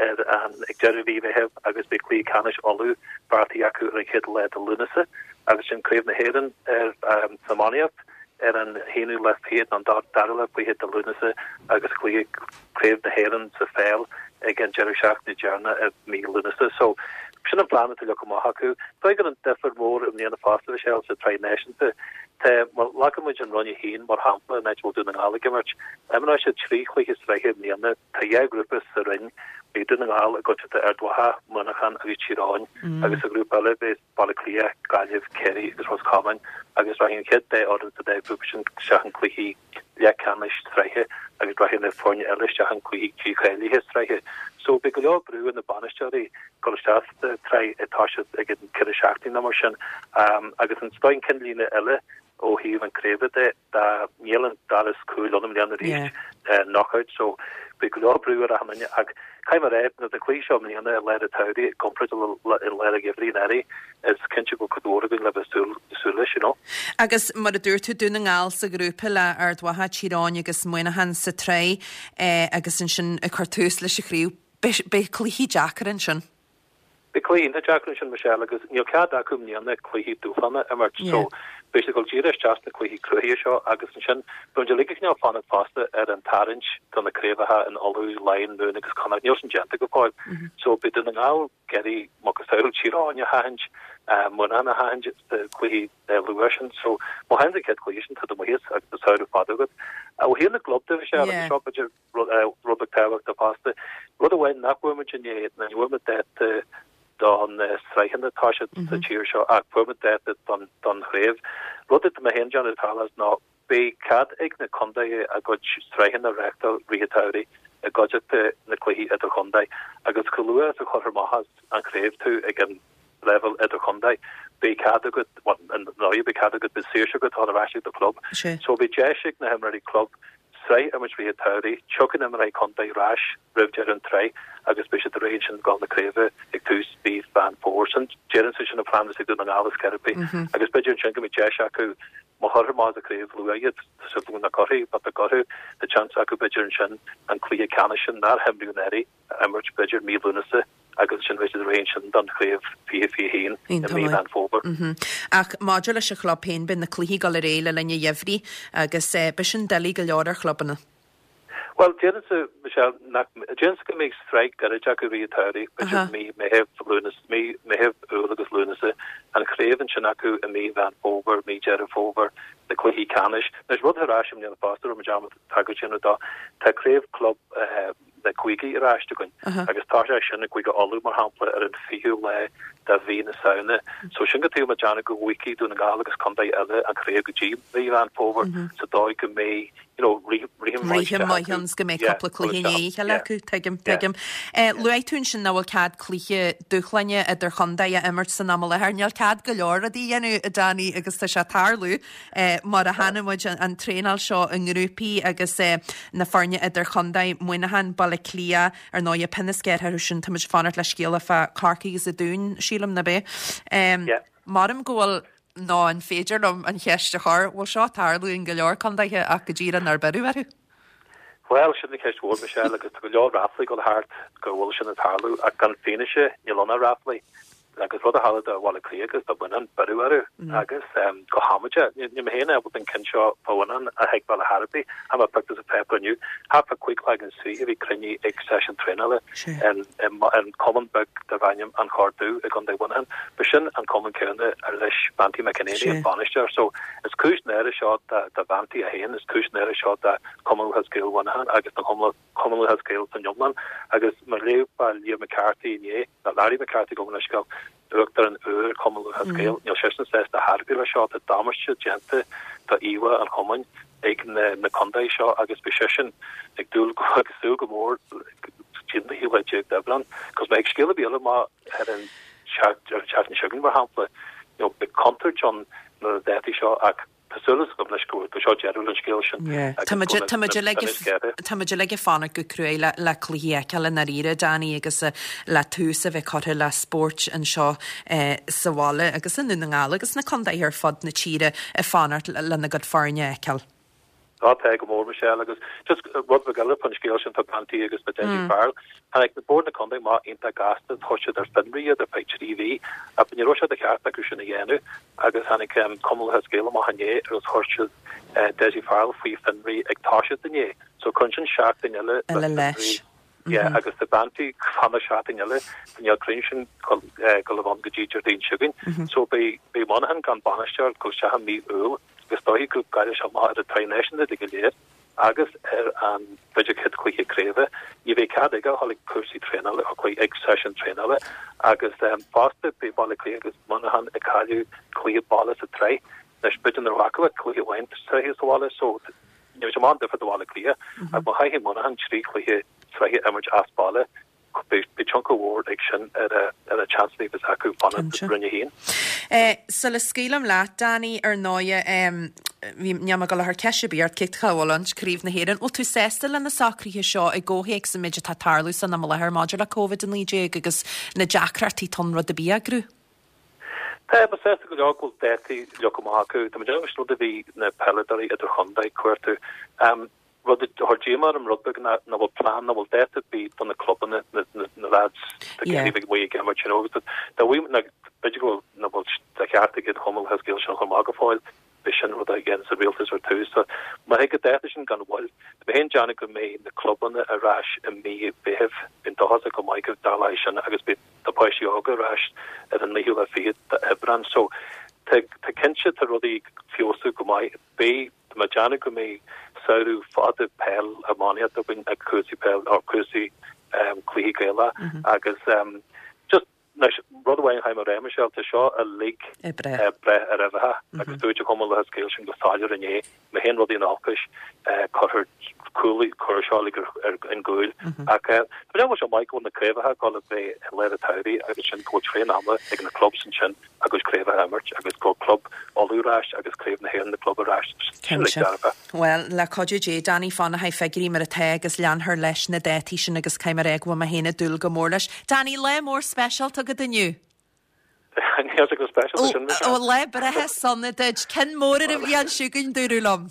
ar an ag deireadh mhí Mheithimh agus beidh cluiche ceannais Uladh beartaithe acu ar an chéad lá de Lúnasa agus sin Craobh na hÉireann ar san iománaíocht ar an haonú lá fichead nó an dara lá fichead de Lúnasa agus cluiche Craobh na hÉireann sa pheil ag an deireadh seachtaine deireanach i mí Lúnasa. So, sin an plean atá leagtha amach acu. Dóigh gur an difear mór i mbliana fosta, Michelle, sa tsraith náisiúnta. Tá, má ghlacann muid an Roinn a haon mar shampla, an áit a bhfuil Dún na nGall ag imirt, imreoidh siad trí chluiche sraithe i mbliana. Tá dhá ghrúpa sa roinn, beidh Dún na nGall i gcuideachta Ard Mhacha, Muineachán agus Tír Eoghain agus sa ghrúpa eile beidh Baile Átha Cliath, Gaillimh, Ciarraí agus Ros Comáin agus rachaidh an chéad dá fhoireann sa dá ghrúpa sin isteach in cluichí leathcheannais sraithe agus rachaidh na foirne eile isteach in cluichí dícháilithe sraithe. So beidh go leor brú ar na bainisteoirí dul isteach sa tsraith ag toiseacht ag an ceithre seachtaine nó mar sin. Agus an dóigh an cinnlíne eile ó thaobh an craoibhe de, dá níl an doras cúil ann i mbliana arís, knockout, so beidh go leor brú ar achan duine ach caithfidh mé a rá, na cluichí seo i mbliana i lár an tsamhraidh i gcomparáid le i lár an gheimhridh anuraidh, is cinnte go bhfuil cuid mhór againn le bheith súil súil leis, you know. Agus mar a dúirt tú, Dún na nGall sa ghrúpa le Ard Mhacha, Tír Eoghain agus Muineachán sa tsraith agus ansin ag cur tús leis an chraobh. Beidh cluichí deacair ansin. Beidh cluichí iontach deacair ansin, Michelle, agus níl cead acu i mbliana cluichí dúshláin a imirt so beidh siad ag dul díreach isteach sna cluichí cruaidhe seo agus ansin beidh muid uilig ag cineál fanacht fosta ar an tarraingt do na craobhacha in Uladh, Laighin, Mumhan agus Connacht. Níl sin déanta go fóill. So beidh Dún na nGall ag iarraidh macasamhail Tír Eoghain a sheachaint, Muineachán a sheachaint sna cluichí luath sin. So má sheachanann tú an chéad chluiche sin tá tú amuigh as agus tá samhradh fada agat. Ó thaobh na gclub de, Michelle, agus seo b'fhéidir rud beag tábhachtach fosta. Rud amháin nach bhfuair muid inné, ná ní bhfuair muid dáta don sraitheanna atá siad sa tír seo ach fuair muid dáta don don chraobh. Rud atá mé féin ag déanamh tarlós ná beidh cead ag na contaetha a gcuid sraitheanna a reáchtáil rith an tsamhraidh i gcuideachta na cluichí idirchontae agus chomh luath is a chuirfear amach as an chraobh tú ag an leibhéal idirchontae beidh cead agat, bhuel, ndóigh beidh cead agat, beidh saoirse agat dul ar ais ag do chlub. So beidh deis ag na himreoirí club sraith a imirt rith an tsamhraidh, tiocfaidh na himreoirí contae ar ais roimh deireadh an tsraith agus beidh siad réidh ansin ag dul na craoibhe ag tús mhí Mheán Fómhair. Sin déarfainnse sin an plean is ag Dún na nGall ar chor ar bith agus b'fhéidir ansin go mbeidh deis acu má chuirtear amach as an chraobh luath iad, tá súil agam nach gcuirfí, but dá gcuirfí, tá seans acu b'fhéidir ansin an cluiche ceannais sin nár himríodh anuraidh a imirt b'fhéidir mí Lúnasa agus ansin beidh siad réidh ansin don chraobh fiche fiche haon i mí Mheán Fómhair. Ach maidir leis an chlub féin, beidh na cluichí ag dul ar aghaidh le linn an gheimhridh agus beidh sin doiligh go leor ar chlubanna. Bhuel, déarfainnse, Michelle, nach, déarfainnse go mbeidh sraith gairid acu rith an tsamhraidh, b'fhéidir mí Meitheamh, Lúnasa, mí Meitheamh, Iúil agus Lúnasa, an chraobh ansin acu i mí Mheán Fómhair, mí Deireadh Fómhair, na cluichí ceannais. Anois, rud ar ais i mbliana fosta, raibh mé dearmad tagairt a dhéanamh dó, tá craobh club, na gcúigí ar ais againn agus tá sé sin i gCúige Uladh, mar shampla, ar an fichiú lá de mhí na Samhna. So sin cad chuige a déanamh go bhfaighidh Dún na nGall agus contae eile an chraobh go dtí mí Mheán Fómhair sa dóigh go mbeidh you know, rithim maith Rithim maith ann 's go mbeidh cúpla cluiche i ndiaidh a chéile acu. Tuigim, tuigim. Luaigh tú ansin nach bhfuil cead cluiche dúshláine idir-chontae a imirt san am i láthair. Níl cead go leor rudaí a dhéanamh, a Danny, agus tá sé ag tarlú. Mar a chonaic muid an traenáil seo i ngrúpaí agus na foirne idirchontae, Muineachán, Baile Átha Cliath, ar ndóigh, pionna sceirthe orthu sin, tá muid ag fanacht le scéala fá Corcaigh agus an Dún, sílim, ná b'é? Maram go bhfuil, nó an féidir liom an cheist a chur, bhfuil seo ag tarlú in go leor contaetha ach go díreach nár beireadh orthu? Bhuel, sin an cheist mhór, Michelle, agus tá go leor ráflaí ag dul thart go bhfuil sin ag tarlú ach gan fianaise níl ann ach ráflaí. Agus rud a tharla do Bhaile Átha Cliath agus do Mhuineachán, beireadh orthu agus go hamaideach. Níl mé féin ábalta an ceann seo fá Mhuineachán a thuigbheáil ar chor ar bith. Chonaic mé pictiúr sa pháipéar inniu. Thart fá cúig déag is fiche a bhí cruinnithe ag seisiún traenála in cumann beag darb ainm An Corr Dubh i gContae Mhuineacháin. B'shin an cumann céanna ar leis Banty McEnany an bainisteoir. So is cúis náire seo do Bhanty é féin, is cúis náire seo do Chumann Lúthchleas Gael Mhuineacháin agus don Chumann Lúthchleas Gael san iomlán. Agus mar a léigh fá Liam McCarthy inné, nó Larry McCarthy gabh mo leithscéal, Uachtarán úr Chumann Lúthchleas Gael, níl seisean sásta ar chor ar bith leis seo, tá damáiste déanta do íomhá an chumainn ag na contaetha seo agus beidh seisean ag dúil ag súil go mór go dtí an tríú lá déag d'Aibreán. Cos má théann scéal ar bith eile amach ar an tseachtain seo chugainn, mar shampla, you know, beidh contúirt ann na dátaí seo ach Tá súil agam anois go bhfuil seo deireadh leis an scéal sin Tá muid uilig ag fanacht go cruaidh le cluichí a fheiceáil i ndáiríre, Danny, agus le tús a bheith curtha le spóirt anseo sa bhaile agus i nDún na nGall agus sna contaetha ar fud na tíre ag fanacht lena gcuid foirne a fheiceáil. Á tá go mór, Michelle, agus just rud beag eile faoin scéal sin fá Banty agus fá Dessie Farrell. Tháinig na Bord na Contae amach iontach gasta, chuir siad ar fionraí iad ar feadh trí mhí, ach ní raibh sé de cheart acu sin a dhéanamh agus tháinig Cumann Lúthchleas Gael amach inné agus chuir siad Dessie Farrell faoi fionraí ag toiseacht inné. So cuireann sin seachtain eile le fionraí. Yeah, agus tá Banty ag fanacht seachtain eile, níl an cruinniú sin ag dul a bheith ann go dtí Déardaoin seo chugainn. So beidh beidh Monaghan gan bainisteoir ag dul isteach i mí Iúil agus is dóichí go gcaillfidh sé amach ar an tsraith náisiúnta go léir. Agus ar an b'fhéidir chéad chluiche craoibhe, ní bheidh cead aige a dhul ag cúrsaí traenála, ag seisiún traenála agus fosta beidh Baile Átha Cliath agus Muineachán ag cailleadh cluiche baile sa tsraith. Anois b'fhéidir nach raibh acu ach cluiche amháin sraithe sa bhaile so Níl sé mórán difear do Bhaile Átha Cliath ach má chaithfidh Muineachán trí chluiche sraithe a imirt as baile, beidh tionchar mhór ag sin ar a seansanna a bheas acu fanacht i Roinn a haon. Sula scaoilim leat, Danny, ar ndóighe, bhí, níl mé ag dul a chur ceist ar bith ort, cé cá bhfuil ann, Craobh na hÉireann. Bhfuil tú sásta le na socruithe seo i gcomhthéacs an méid atá ag tarlú san am i láthair maidir le Covid a naoi déag agus na deacrachtaí atá ann rud ar bith a eagrú? Tá mé sásta go leor go bhfuil dátaí leagtha amach acu. Tá mé ag déanamh rud a bhí na peileadóirí idirchontae cuartú. Rud a chuir díomá orm rud beag ná nach bhfuil plean, nach bhfuil dáta ar bith do na clubanna, na na lads tá Yeah. ag amuigh ag imirt you know agus dá bhfuil na b'fhéidir go bhfuil nach bhfuil de cheart ag an Chumann Lúthchleas Gael sin a chur amach go fóill, b'é sin rud a dhéanann an rialtas ar tús. So má thig an dáta sin gan mhoill, tá mé féin ag déanamh go mbeidh na clubanna ar ais i mí Mheithimh, bheinn dóchasach go maith go dtarlóidh sin agus beidh na páistí óga ar ais ar an naoú lá fichead d'Aibreán. So tá tá cinnte tá rudaí ag feabhsú go maith. Beidh tá mé ag déanamh go mbeidh samhradh fada peil iománaíocht againn ag cúrsaí peil or cúrsaí um, cluichí Gaelacha mm -hmm. agus um, just Anois, rud amháin a chaithfidh mé a rá, Michelle, tá seo uilig Ag breith. ag breith ar uimhreacha agus dúirt an Cumann Lúthchleas Gael sin go soiléir inné, má théann rudaí in olcais, cuirfear cúl, cuirfear seo uilig ar an gcúl. Ach tá mé ag déanamh go bhfuil sé maith go bhfuil na craobhacha ag dul a bheith i lár an tsamhraidh agus sin go bhfuil tréan ama ag na clubs ansin a gcuid craobhacha a imirt agus go bhfuil club Uladh ar ais agus craobh na hÉireann na club ar ais. Sin uilig Cinnte. dearfa. Bhuel, le cuidiú Dé, Danny fanfaidh figiúirí mar atá agus leanfar leis na dátaí sin agus caithfidh mé a rá go bhfuil mé féin ag dúil go mór leis. Danny, lá mór speisialta agat inniu. Níl sé go speisialta sin, Michelle. Ó, lá breithe sona duit. Cinn mór ar an bhliain seo chugainn, dúradh liom.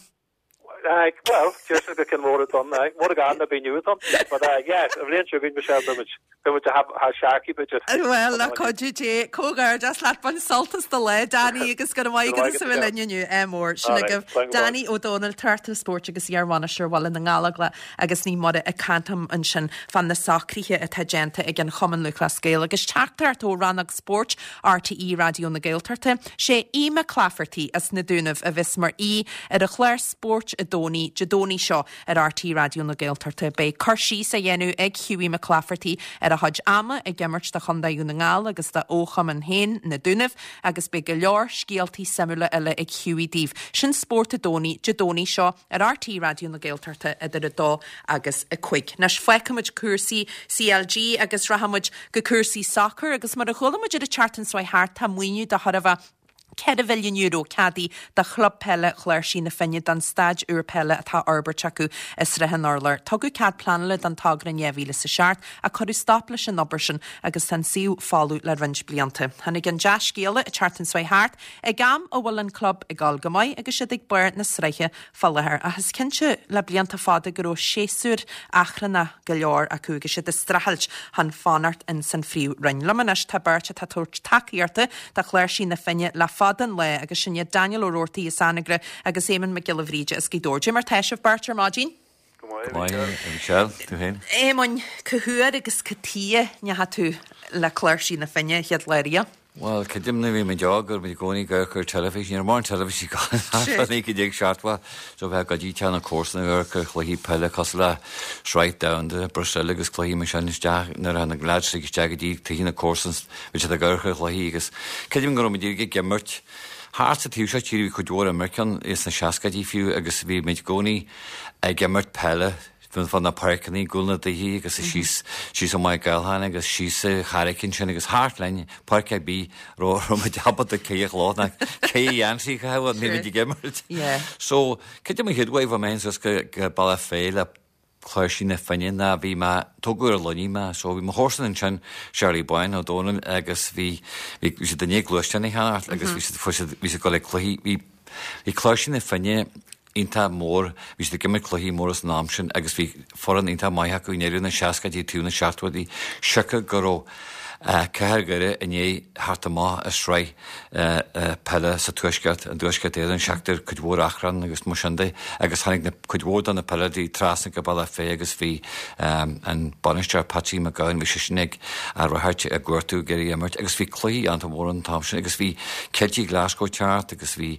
Aye, well, just go cinn mór don mór gan na bí nua don, but uh, yeah, an bhliain seo chugainn Michelle beimid beimid a ha searcaí b'fhéidir. Well, le cuidiú Dé, comhghairdeas leat bain sult as do lá, Danny agus go raibh maith agat as a bheith linn inniu é mór. Sin Alright, agaibh slán go Danny Ó Dónaill, Tráchtaire Spóirt agus iarbhainisteoir Bhaile na nGallóglach agus Naomh Muire ag caint liom ansin fá na socruithe atá déanta ag an Chumann Lúthchleas Gael agus teachtaireacht ó Rannóg Spóirt R T E Raidió na Gaeltachta sé Aodh Mac Laifeartaigh as na Dúnaibh a bheas mar aoi ar an chlár Spórt i dTónaí Dé Domhnaigh seo ar R T E Raidió na Gaeltachta. Beidh cur síos á dhéanamh ag Hughie Mac Laifeartaigh ar a chuid ama ag imirt do Chontae Dhún na nGall agus dá chumann féin na Dúnaibh agus beidh go leor scéaltaí suimiúla eile ag Hughie daoibh. Sin Spórt i dTónaí Dé Domhnaigh seo ar R T E Raidió na Gaeltachta idir a dó agus a cúig. Anois fágfaimid cúrsaí C L G agus rachaimid go cúrsaí sacair agus mar a chuala muid ar an tseachtain seo thart tá maoiniú de chóir a bheith ceithre mhilliún euro ceadaithe do chlub peile Chláirsigh na Finne don staid úr peile atá á fhorbairt acu i Srath an Urláir. Tugadh cead pleanála don togra in dhá mhíle is a seacht a cuireadh stop leis an obair sin agus tá an suíomh folamh le roinnt blianta. Tháinig an dea-scéala an tseachtain seo thart ag am a bhfuil an club ag dul go maith agus siad ag barr na sraithe fá láthair ach is cinnte le blianta fada go raibh séasúr achrannach go leor acu agus siad ag streachailt chun fanacht in san phríomhroinn. Liom anois tá beirt atá ag tabhairt tacaíochta do Chláirsigh na Finne le fada an lá agus sin iad Daniel Ó Roarty as Anagaire agus Éamonn Mac Giolla Bhríde as Gaoth Dobhair. Mar tá sibh beirt ar maidin? Michelle, tú féin? Éamonn, cá huair agus cad chuige a ndeachaigh tú le Cláirsigh na Finne chéad lá riamh? Well, creidim nuair a bhí muid óg go raibh muid i gcónaí ag amharc ar teilifís, ní raibh mórán teilifís ag naoi déag seachtó, so bheith go dtí teach na comharsan ag amharc ar chluichí peile cosúil le Sraith Domhanda, Brasil agus cluichí mar sin isteach nuair a na lads isteach go dtí tithe na comharsan bhí siad ag amharc ar chluichí agus creidim go raibh muid ag imirt Thart sa taobh seo tíre bhí cuid mhór imirce sna seascaidí fiú agus bhí muid i gcónaí ag imirt peile fan na páirceanna gcúl na dtithe agus síos síos ó Maigh Galháin agus síos sa Charraig sin agus thart linn páirc ar bith raibh muid ábalta cé a chló ná cé dhéansaí cha ní muid ag imirt. Yeah. So creidim an chéad uair bhí mé suas go go Bealach Féich le Cláirsigh na Finne ná bhí mé tógadh ar Luiní mé, so bhí mo chomharsan ansin Charlie Boyne Ó Dónaill agus bhí bhí siad i ndiaidh gluaisteán a cheannacht agus bhí siad fuair siad bhí siad ag dul ag cluichí bhí bhí Cláirsigh na Finne iontach mór, bhí siad ag imirt cluichí móra san am sin agus bhí foireann iontach maith acu i ndeireadh na seascaidí tús na seachtóidí siocair go raibh Cathair Dhoire i ndiaidh theacht amach i sraith peile sa tuaisceart an tuaisceart Éireann seachtar cuid mhór achrann agus mar sin de agus tháinig na cuid mhór de na peileadóirí trasna go Bealach Féich agus bhí an bainisteoir Patsy McGowan bhí sé sin ag a ráirt ag gortú ag iarraidh imirt agus bhí cluichí an-mhór an t-am sin agus bhí Celtic Glasgow teacht agus bhí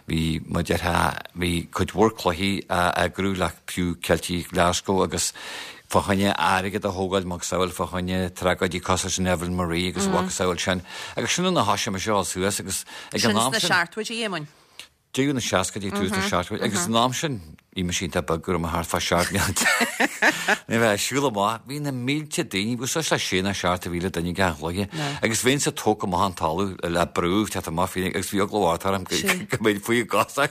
bhí mar déarfá bhí cuid mhór cluichí a eagrú le fiú Celtic Glasgow agus fá choinne airgead a thógáil macasamhail fá choinne tragóidí cosúil sin Evelyn Marie agus macasamhail sin agus sin na thosaigh mé seo suas agus ag Sin an am sna sin seachtóidí Éamoinn. Deireadh na seascaidí, tús na seachtóidí, agus san am sin, bhí mise iontach beag, go raibh mé thart fá seacht mbliana déag. Ní bheith ag siúl amach, bhí na mílte daoine, bhí suas le sé nó seacht mhíle duine ag an chluiche, agus bheinnse tógtha amach an talamh le brú teacht amach faoi, agus bhí eagla mhór orm go mbeinn faoi gcosa.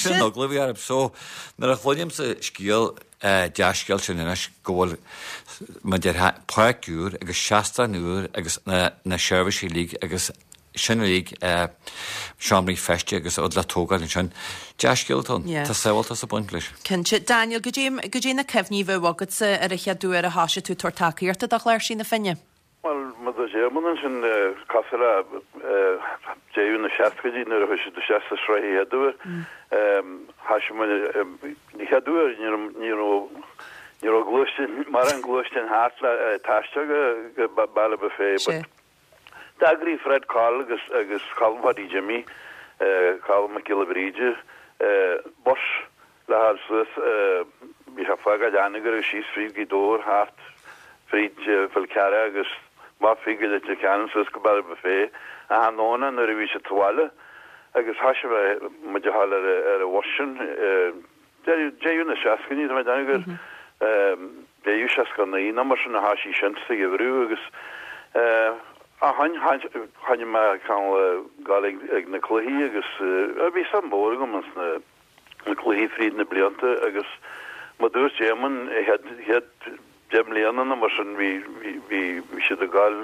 Sin an eagla a bhí orm. So, nuair a chluinimse scéal, dea-scéal sin anois go bhfuil, mar a déarfá, páirc úr agus seastán úr agus na seirbhísí uilig agus sin uilig, seomraí feistis agus rud le tógáil ansin. Dea-scéal atá ann. Tá samhaltas ag baint leis. Cinnte. Daniel, goidé na cuimhní a bheadh agatsa ar an chéad uair a thoisigh tú ag tabhairt tacaíochta do Chláirsigh na Finne? Bhuel, mar a dúirt Éamonn ansin, cosúil le deireadh na seascaidí nuair a chuaigh siad isteach sa sraith an chéad uair, thoisigh muid, an chéad uair ní raibh, ní raibh, ní raibh gluaisteáin, mórán gluaisteáin thart le taisteal go Baile Bhuirne but d'eagraigh Fred Coll agus, agus Colm Pháidí Jimmy, Colm Mac Giolla Bhríde, bus le fháil suas, bhí sé ag fágáil Anagaire agus síos fríd Ghaoth Dobhair thart fríd Fál Carrach agus amach fríd go Leitir Ceanainn suas go Baile Bhuirne achan Domhnach nuair a bhí siad sa bhaile agus thoisigh muid a ghabháil ar an bhus sin deireadh na seascaidí tá mé ag déanamh gur deireadh seasca naoi nó mar sin a thoisigh sin sa gheimhreadh agus ó shin choinnigh mé cineál ag gabháil ag na cluichí agus bhí suim mhór agam ins na na cluichí fríd na blianta agus mar dúirt Éamonn chéad chéad deich mbliana nó mar sin bhí bhí bhí bhí siad ag gabháil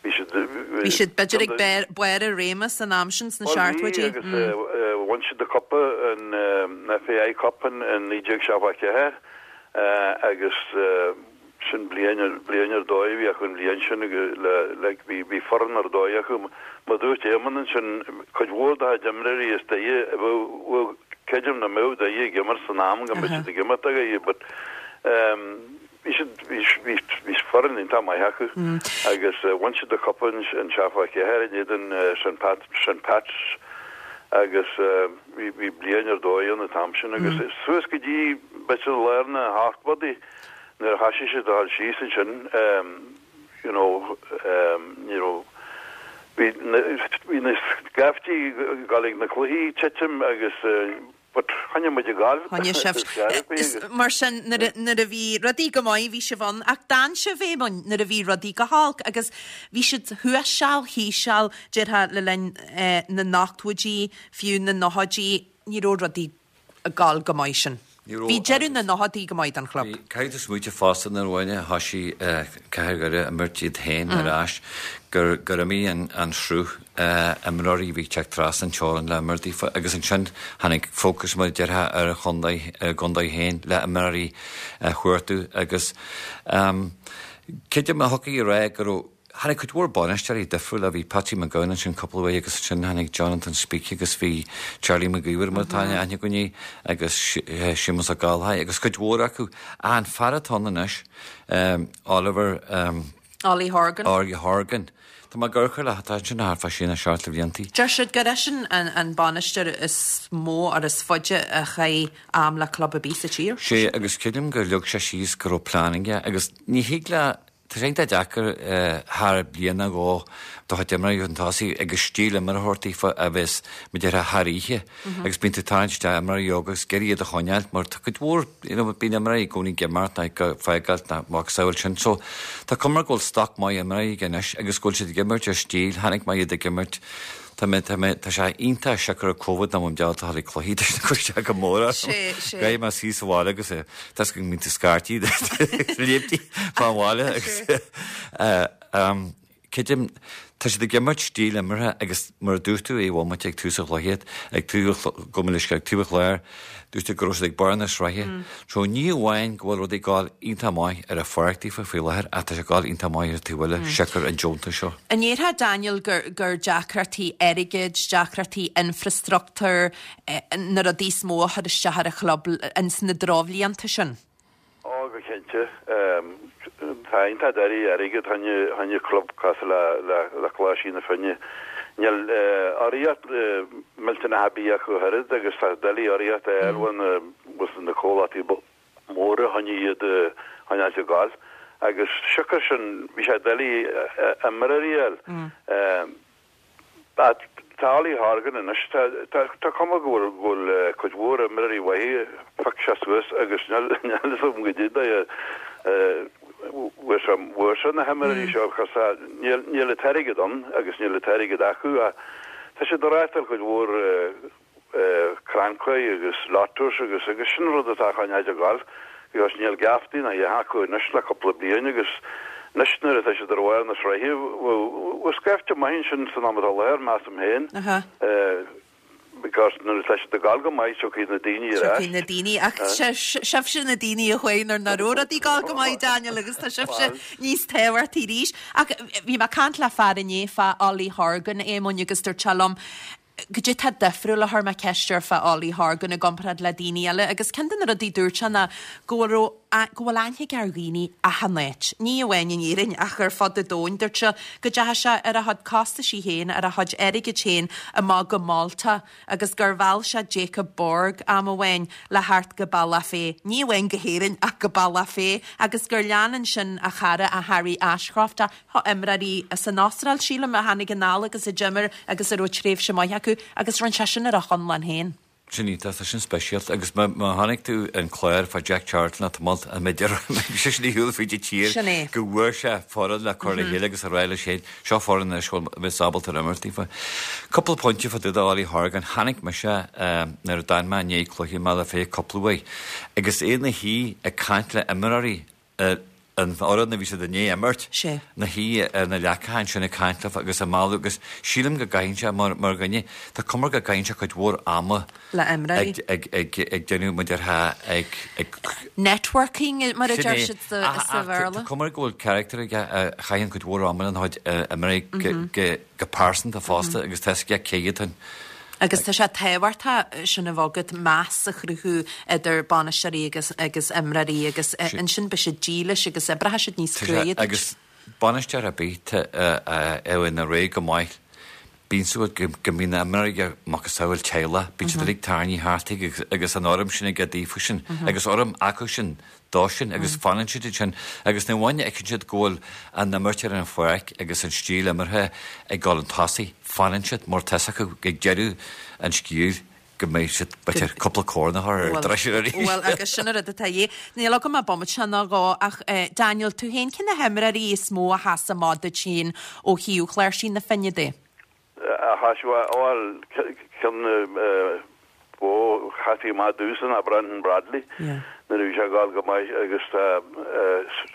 bhí siad Bhí siad b'fhéidir ag barr barr a réime san am sin sna Bhuel bhí seachtóidí. agus bhain siad an cupa an FAI Cup in naoi déag seachtó a ceathair agus Sin bliain ar bliain ar dóigh a bhí acu an bhliain sin agus le like bhí bhí foireann ar dóigh acu. Mar dúirt Éamonn ansin cuid mhór dá chuid imreoirí is dóigh a bheadh bheadh creidim nach mbeadh Doire ag imirt san am go mbeadh siad ag imirt do Dhoire but ehm bhí siad bhí bhí bhí foireann iontach maith acu agus bhain siad an cupa in in seachtó a ceathair in éadan St Pat St Pats agus bhí bhí bliain ar dóigh ann an t-am sin agus suas go dtí b'fhéidir lár na hochtóidí Nuair a thoisigh siad a dhul síos ansin, you know, ní raibh, bhí na, bhí na scaifte ag dul ag na cluichí ag titim agus but choinnigh muid ag gabháil. Choinnigh sibh. Is mar sin, nuair a, nuair a bhí rudaí go maith, bhí sibh ann, ach d'fhan sibh, Éamoinn, nuair a bhí rudaí go holc agus bhí siad thuas seal, thíos seal, déarfá le linn na n-ochtóidí, fiú na nóchaidí, ní raibh rudaí ag gabháil go maith sin. Bhí deireadh na nóchaidí go maith don chlub. Caithfidh tú smaoiteamh fosta nuair amháin a thoisigh Cathair Dhoire imirt iad féin ar ais gur gur imigh an an sruth imreoirí a bhí ag teacht trasna an teorainn le imirt daofa agus ansin tháinig fócas mar a déarfá ar an chontae ar an gcontae féin le imreoirí a chuartú agus creidim a thiocfaí a rá go raibh Tháinig cuid mhór bainisteoirí difriúla, bhí Patsy McGowan ansin cúpla uair agus ansin tháinig Jonathan Speke agus bhí Charlie Mac Íomhair mar atá aithne againn é agus Séamus Ó Gallchóir agus cuid mhór acu. Ach an fear atá ann anois, Oliver, Ollie Horgan. Ollie Horgan. Tá mé ag amharc air, tá ansin thart fá sé nó seacht de bhlianta. Deir siad gur eisean an bainisteoir is mó or is faide a chaith am le club ar bith sa tír. Sé agus creidim gur leag sé síos go raibh plean aige agus ní thig le Tá sé iontach deacair thar bliain nó dhó do chuid imreoirí chun tosaigh agus stíl imeartha a thabhairt daofa a bheas mar a déarfá thar oíche agus bíonn tú ag tarraingt isteach imreoirí óga agus ag iarraidh iad a choinneáil mar tá cuid mhór you know bíonn imreoirí i gcónaí ag imeacht nó ag fágáil nó macasamhail sin so tá cuma go bhfuil stoc maith imreoirí aige anois agus go bhfuil siad ag imirt ar stíl chonaic mé iad ag imirt Tá mé, tá mé, tá sé iontach siocair ar Covid nach bhfuil mé ábalta a dhul ag cluichí tá sé cur isteach go mór orm. Sé, sé. Caithfidh mé suí sa bhaile agus eh, tá go mbíonn tú scairtí léimtí fán bhaile agus eh, um, creidim, tá siad ag imirt stíl imeartha agus mar a dúirt tú a bhomaite ag tús an chluiche, ag tús go mbeidh ag taobh an chláir, Dúirt tú go raibh siad ag barr na sraithe. So ní amháin go bhfuil rudaí ag gabháil iontach maith ar an pháirc daofa faoi láthair ach tá sé ag gabháil iontach maith ar an taobh eile, siocair an deontas seo. An ndéarfá, Daniel, gur gur deacrachtaí airgid, deacrachtaí infreastruchtúir na rudaí is mó a chuir isteach ar an chlub ins na drochbhlianta sin? Ó, go cinnte. Tá iontach doiligh airgead fá choinne club cosúil le Coláiste na Finne. Níl urraíocht millteanach ar bith acu ach oiread agus tá doiligh urraíocht a fháil ó na comhlachtaí móra fá choinne iad a choinneáilt ag gabháil. Agus siocair sin, bhí sé doiligh imreoirí a fháil. tá Ollie Horgan anois, tá tá tá cuma go bhfuil go bhfuil cuid mhór imreoirí uaidh phioc sé suas agus níl níl a fhios agam goidé bhfuair sé bhfuair sé na himreoirí seo cos tá níl níl an t-airgead ann agus níl an t-airgead acu ach tá siad ag reáchtáil cuid mhór crannchuir agus lottos agus agus sin rud atá chun a ghabháil because níl geaftaí ná a acu anois le cúpla bliain agus anois nuair atá siad ar bharr na sraithe bhfuil scaifte maith ansin san am atá láthair measaim féin because nuair atá siad ag gabháil go maith tiocfaidh na daoine ar ais. Tiocfaidh na daoine ach sibhse na daoine a chuaigh nuair nach raibh rudaí ag gabháil go maith Daniel agus tá sibhse níos tábhachtaí arís. Ach bhí mé ag caint le fear inné fá Ollie Horgan Éamoinn agus dúirt sé liom Goidé tá difriúil a chuir mé ceist air fá Ollie Horgan i gcomparáid le daoine eile agus ceann de na rudaí dúirt sé ná go bhfuil raibh go bhfuil aithne aige ar dhaoine achan áit, ní amháin in Éirinn ach ar fud an domhain. Dúirt sé go dteachaigh sé ar a chuid costaisí féin, ar a chuid airgid féin amach go Málta agus gur mheall sé Jacob Borg am amháin le theacht go Bealach Féich, ní amháin go hÉirinn ach go Bealach Féich agus gur lean ansin a chara a Harry Ashcroft a Tá imreoirí as an Astráil, sílim, a tháinig anall agus a d'imir agus a raibh tréimhse maith acu agus rinne sé sin ar a chonlán féin. Sin iontach, tá sin speisialta agus má chonaic tú an clár fá Jack Charlton atá tamalt an mbeidh sé sin ar shiúl fríd an tír Sin é. go bhfuair sé foireann le cur le chéile agus a rá leis féin, seo foireann anois a bheas ábalta ar imirt daofa. Cúpla pointe fá dtaobh de Ollie Horgan, chonaic mise nuair a d'fhan mé i ndiaidh cluiche i mBealach Féich cúpla uair agus é ina shuí ag caint le imreoirí an fhoireann a bhí siad i ndiaidh imirt, ina shuí ar na leacacha ansin ag caint leofa agus ag mealladh agus sílim go gcaitheann sé mar mar dhuine, tá cuma go gcaitheann sé cuid mhór ama Le imreoirí. ag ag ag déanamh mar a déarfá ag ag Networking mar a Sin deir é. siad sa Ach sa ach tá Bhéarla. cuma go bhfuil character aige a chaitheann cuid mhór ama lena chuid imreoirí go go go pearsanta fosta agus tá a fhios aige cé hiad an Agus tá sé tábhachtach sin a bheith agat, meas a chruthú idir bainisteoirí agus agus imreoirí agus ansin beidh siad dílis agus oibreoidh siad níos Tá sé cruaidhe duit. agus bainisteoir ar bith a bhíonn ar aghaidh go maith, bíonn súil go go mbíonn na imreoirí aige macasamhail teaghlach, bíonn siad uilig tarraingthe thart aige agus agus an urraim sin aige daofa sin agus urraim acu sin dó sin agus fanann siad ansin agus ní amháin a fheiceann siad go bhfuil an imirt ar an pháirc agus an stíl imeartha ag dul chun tosaigh, fanann siad mar tá fhios acu ag deireadh an scéil go mbeidh siad b'fhéidir cúpla corn a chur ar dturais arís. Bhuel, agus sin an rud atá dhé. Níl agam ach bomaite nó dhó ach Daniel, tú féin, cé na himreoirí is mó a sheas amach duit féin ó thaobh Chláirsigh na Finne de? A sheas bhuel, ceann ba sheas amach domhsa ná Brendan Bradley nuair a bhí sé ag gabháil go maith agus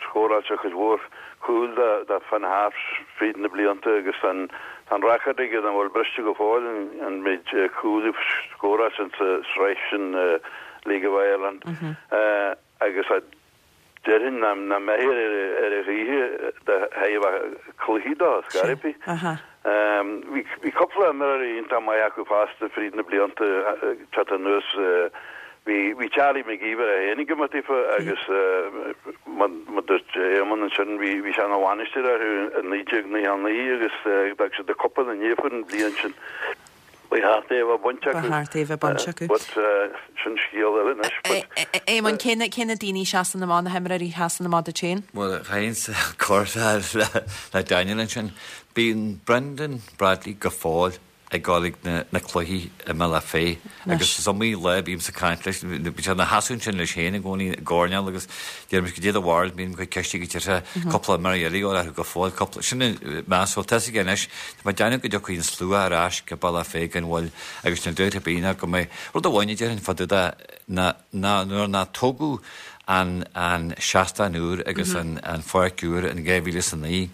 scóráil sé cuid mhór cúl do Finn Harps fríd na blianta agus tá an record aige nach bhfuil briste go fóill an méid cúl a scóráil sé sa sraith sin League of Ireland agus Déarfainn nach mbeidh ar a choíche do thaobh cluichí dó, scor ar bith. Bhí cúpla imreoirí iontach maith acu fosta fríd na blianta teacht anuas. Bhí Charlie McGeever é féin ag imirt daofa agus mar a dúirt Éamonn ansin bhí sé ina bhainisteoir orthu i naoi déag naocha a naoi agus d'fhág siad an cupa ina ndiaidh an bhliain sin. Ba cheart é a bheith bainte Ba acu. cheart é a bheith bainte acu. But sin scéal eile anois. But Éamonn, cé na cé na daoine a sheasann amach, na himreoirí a sheasann amach duit féin? Bhuel, chaithfinnse cur le le Daniel ansin. Bíonn Brendan Bradley go fóill ag dul ag na na cluichí i mBealach Féich agus is iomaí lá a bímse ag caint leis, bíonn sé ina sheasamh ansin leis féin i gcónaí i gcoirnéal agus deirimse goidé do bharúil, bíonn cuid ceiste go dtí cúpla imreoir eile ag dul orthu go fóill, cúpla, sin an meas, bhuel tá fhios aige anois, tá mé ag déanamh go dtiocfaidh an slua ar ais go Bealach Féich gan mhoill agus níl dabht ar bith ná go mbeidh, rud amháin a déarfainn fá dtaobh de ná ná nuair ná tógadh an an seastán úr agus an an pháirc úr in dhá mhíle is a naoi,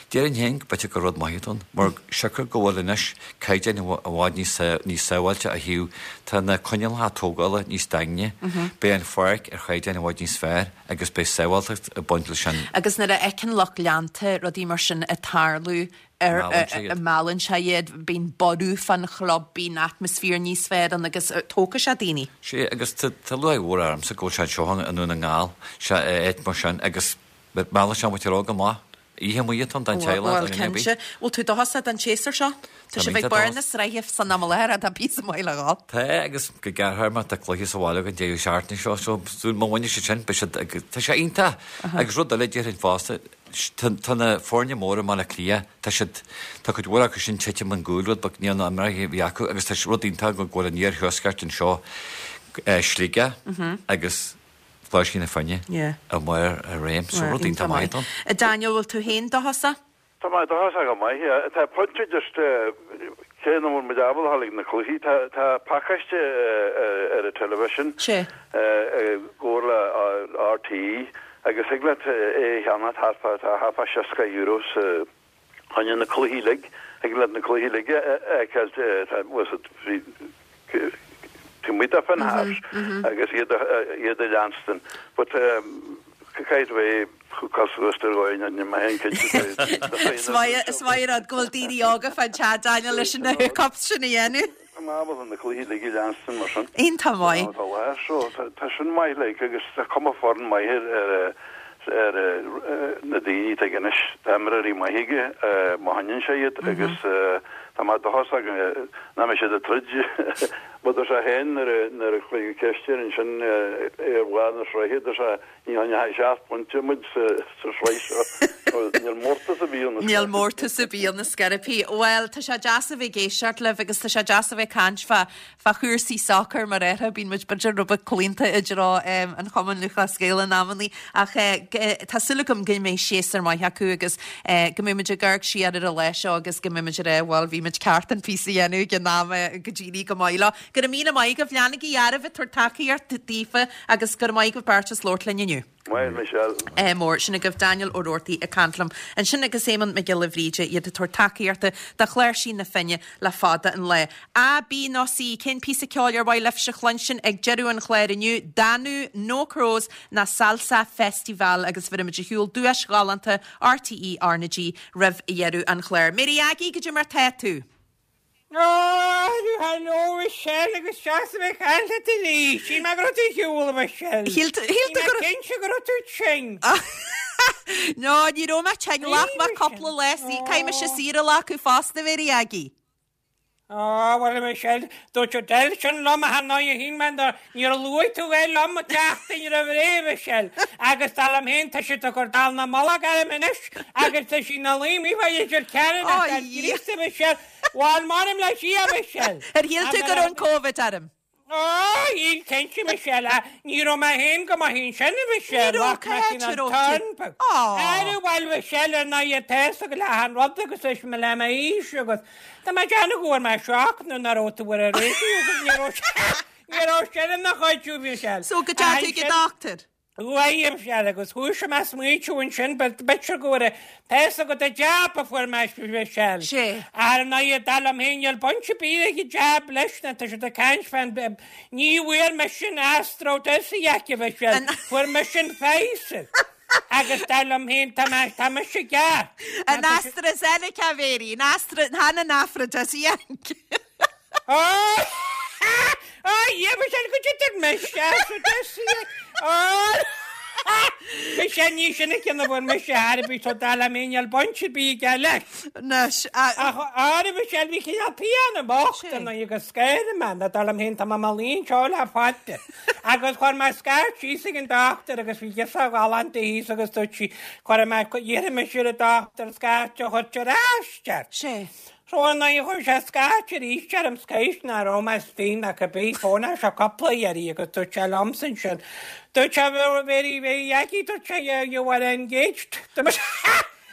déarfainn féin b'fhéidir gur rud maith atá ann mar siocair go bhfuil anois caighdeáin i bhfad níos níos sábháilte ó thaobh tá na coinníollacha tógála níos daingne, beidh an pháirc ar chaighdeán i bhfad níos fearr agus beidh sábháilteacht ag baint leis sin. Agus nuair a fheiceann lucht leanta rudaí mar sin ag tarlú ar Meallann sé iad. meallann sé iad, bíonn borradh fán chlub, bíonn atmaisféar níos fearr ann agus tógfaidh sé daoine. Sea, agus tá lúcháir mhór ormsa go bhfuil sé anseo i nDún na nGall, sé áit mar sin agus meallann sé muid ar aghaidh go maith. Oíche amuigh atá ann don teaghlach, Bhuel, don duine ar bith. cinnte. Bhfuil tú dóchasach don tséasúr seo? Tá Tá sibh mé ag barr dóchasach. na sraithe san am i láthair, tá píosa maith le dhul. Tá, agus go gearrthéarma tá cluiche sa bhaile againn deireadh seachtaine seo, so má bhaineann siad sin, beidh siad, tá sé iontach. Agus rud eile déarfainn fosta, Tá na foirne móra i mBaile Átha Cliath, tá siad, tá cuid mhór acu sin titim ón gcúl rud beag, níl na imreoirí a bhí acu agus tá rud iontach go bhfuil an iarthuaisceart anseo, Sligeach agus Cláirsigh na Finne i mbarr a réim, so rud iontach maith ann. Daniel, bhfuil tú féin dóchasach? Tá mé dóchasach go maith, yeah. Tá pointe just cé nach bhfuil muid ábalta a dhul ag na cluichí, tá tá pacáiste ar an television i gcomhar le RTÉ agus thig leat é a cheannach thart fá tá thart fá seasca euro sa choinne na cluichí uilig, thig leat na cluichí uilig a fheiceáil tá bhfuil fhios taobh amuigh de Finn Harps agus iad iad a leanstan. But caithfidh tú é a chur suas ar dhóigh níl mé féin cinnte Is maith is maith an rud go bhfuil daoine óga fán teach Daniel leis na hookups sin a dhéanamh. Tá mé ábalta na cluichí uilig a leanstan mar sin. Iontach maith. Tá lá so tá sin maith like agus tá cuma foireann maith ar ar ar na daoine atá aige anois. Tá imreoirí maith aige má choinníonn sé iad agus tá mé dóchasach nach mbeidh siad ag troid. Mar dúirt sé féin nuair a nuair a cuireadh ceist air ansin ar bharr na sraithe, dúirt sé ní choinneoidh seacht bpointe muid sa sa sraith seo. Níl mórtas ar bith ann. Níl mórtas ar bith ann ar scor ar bith. Bhuel, tá sé deas a bheith ag éisteacht libh agus tá sé deas a bheith ag caint fá fá chúrsaí sacair mar air. Bíonn muid b'fhéidir rud beag claonta i dtreo an Chumann Lúthchleas Gael in amannaí ach tá súil agam go mbeidh séasúr maith acu agus go mbeidh muid ag amharc siar ar an lá seo agus go mbeidh muid ag rá bhuel bhí muid ceart an píosa a dhéanamh ag an am go d'éirigh go maith leo. Go raibh míle maith agaibh, leanaigí oraibh ag tabhairt tacaíocht daofa agus go raibh maith agaibh beirt as labhairt linn inniu. Maith, Michelle. Ádh mór, sin agaibh Daniel Ó Roarty ag caint liom ansin agus Éamonn Mac Giolla Bhríde, iad ag tabhairt tacaíochta do Chláirsigh na Finne le fada an lá. A, B nó C, cén píosa ceoil ar mhaith libhse a chluinstin ag deireadh an chláir inniu? Danú, No Crows nó Salsa Festival agus bhéarfaimid ar shiúl duais ghalánta RTÉ RnaG roimh dheireadh an chláir. Mary Aggie, goidé mar tá tú? Hello, Michelle, agus deas a bheith ag caint leat arís. Shíl mé go raibh tú ar shiúl, a Mhichelle. Shíl tú Bhí mé go raibh. cinnte go raibh tú tinn. No, ní raibh mé tinn. Ghlac mé cúpla lá saor. Caithfidh mise saoire a ghlacadh fosta, Mary Aggie. Á, bhuel, a Michelle, dúirt Adele sin liom a ndóigh a shíl mé níor luaigh tú é liom an tseachtain roimh ré, a Mhichelle. Agus dar liom féin, tá siad ag cur dallamullóg orm anois agus tá sí ina luí amuigh fá Leitir Ceanainn Ó, ach tá a Dhia. Críost, a Mhichelle. Bhuel, m'anam le Dia, a Michelle. Ar shíl tú go raibh an Covid orm? Á, shíl cinnte, Michelle, ach ní raibh mé féin go maith ansin, a Ní Mhichelle, raibh, ghlac cá mé háit sin a an raibh tú? turn beag. Á. Ara, bhuel, Michelle, ar ndóigh, tá a fhios agat le hachan rud agus leis mo le m'aois agus tá mé ag déanamh go bhfuair mé shock nuair nach raibh tú ar an raidió agus ní raibh ní raibh sin ina chuidiú, Michelle. So go dteachaigh tú ag an dochtúir? Uaidh, a Mhichelle, agus thoisigh mé ag smaointiú ansin, b'fhéidir go bhfuair tá a fhios agat an jab a fuair mé, Michelle. Sé. Ar ndóigh, dar liom féin, níl baint ar bith ag an jab leis na, tá siad ag caint fán, ní bhfuair mise an AstraZeneca, a Mhichelle, An. fuair mise an Pfizer. Agus dar liom féin, tá mé, tá mise ceart. An AstraZeneca, Mary, an Astra, chan an aphrodisiac. Ó! Ó, yeah, Michelle, go dtitear mise, aphrodisiac. Ó! Michelle, ní sin an ceann a fuair mise ar bith, so dar liom féin, níl baint ar bith aige leis. Anois, a. Ach ara, Michelle, bhí cineál pian bocht Sé. ar ndóigh agus scair mé, ná dar liom féin, tá mé i mo luí anseo le fada. Agus chuir mé scairt síos ag an dochtúir agus bhí girseach ghalánta thíos agus dúirt sí, cuirfidh mé, iarrfaidh mise ar an dochtúir scairt a thabhairt ar ais ort. Sé. So ar ndóigh chuir sé scairt arís orm scaois nach raibh mé istigh ná cibé fóna seo cúpla iarraidh agus dúirt sé liomsa ansin. Dúirt sé very very Aggie dúirt sé you were engaged. Dúirt mise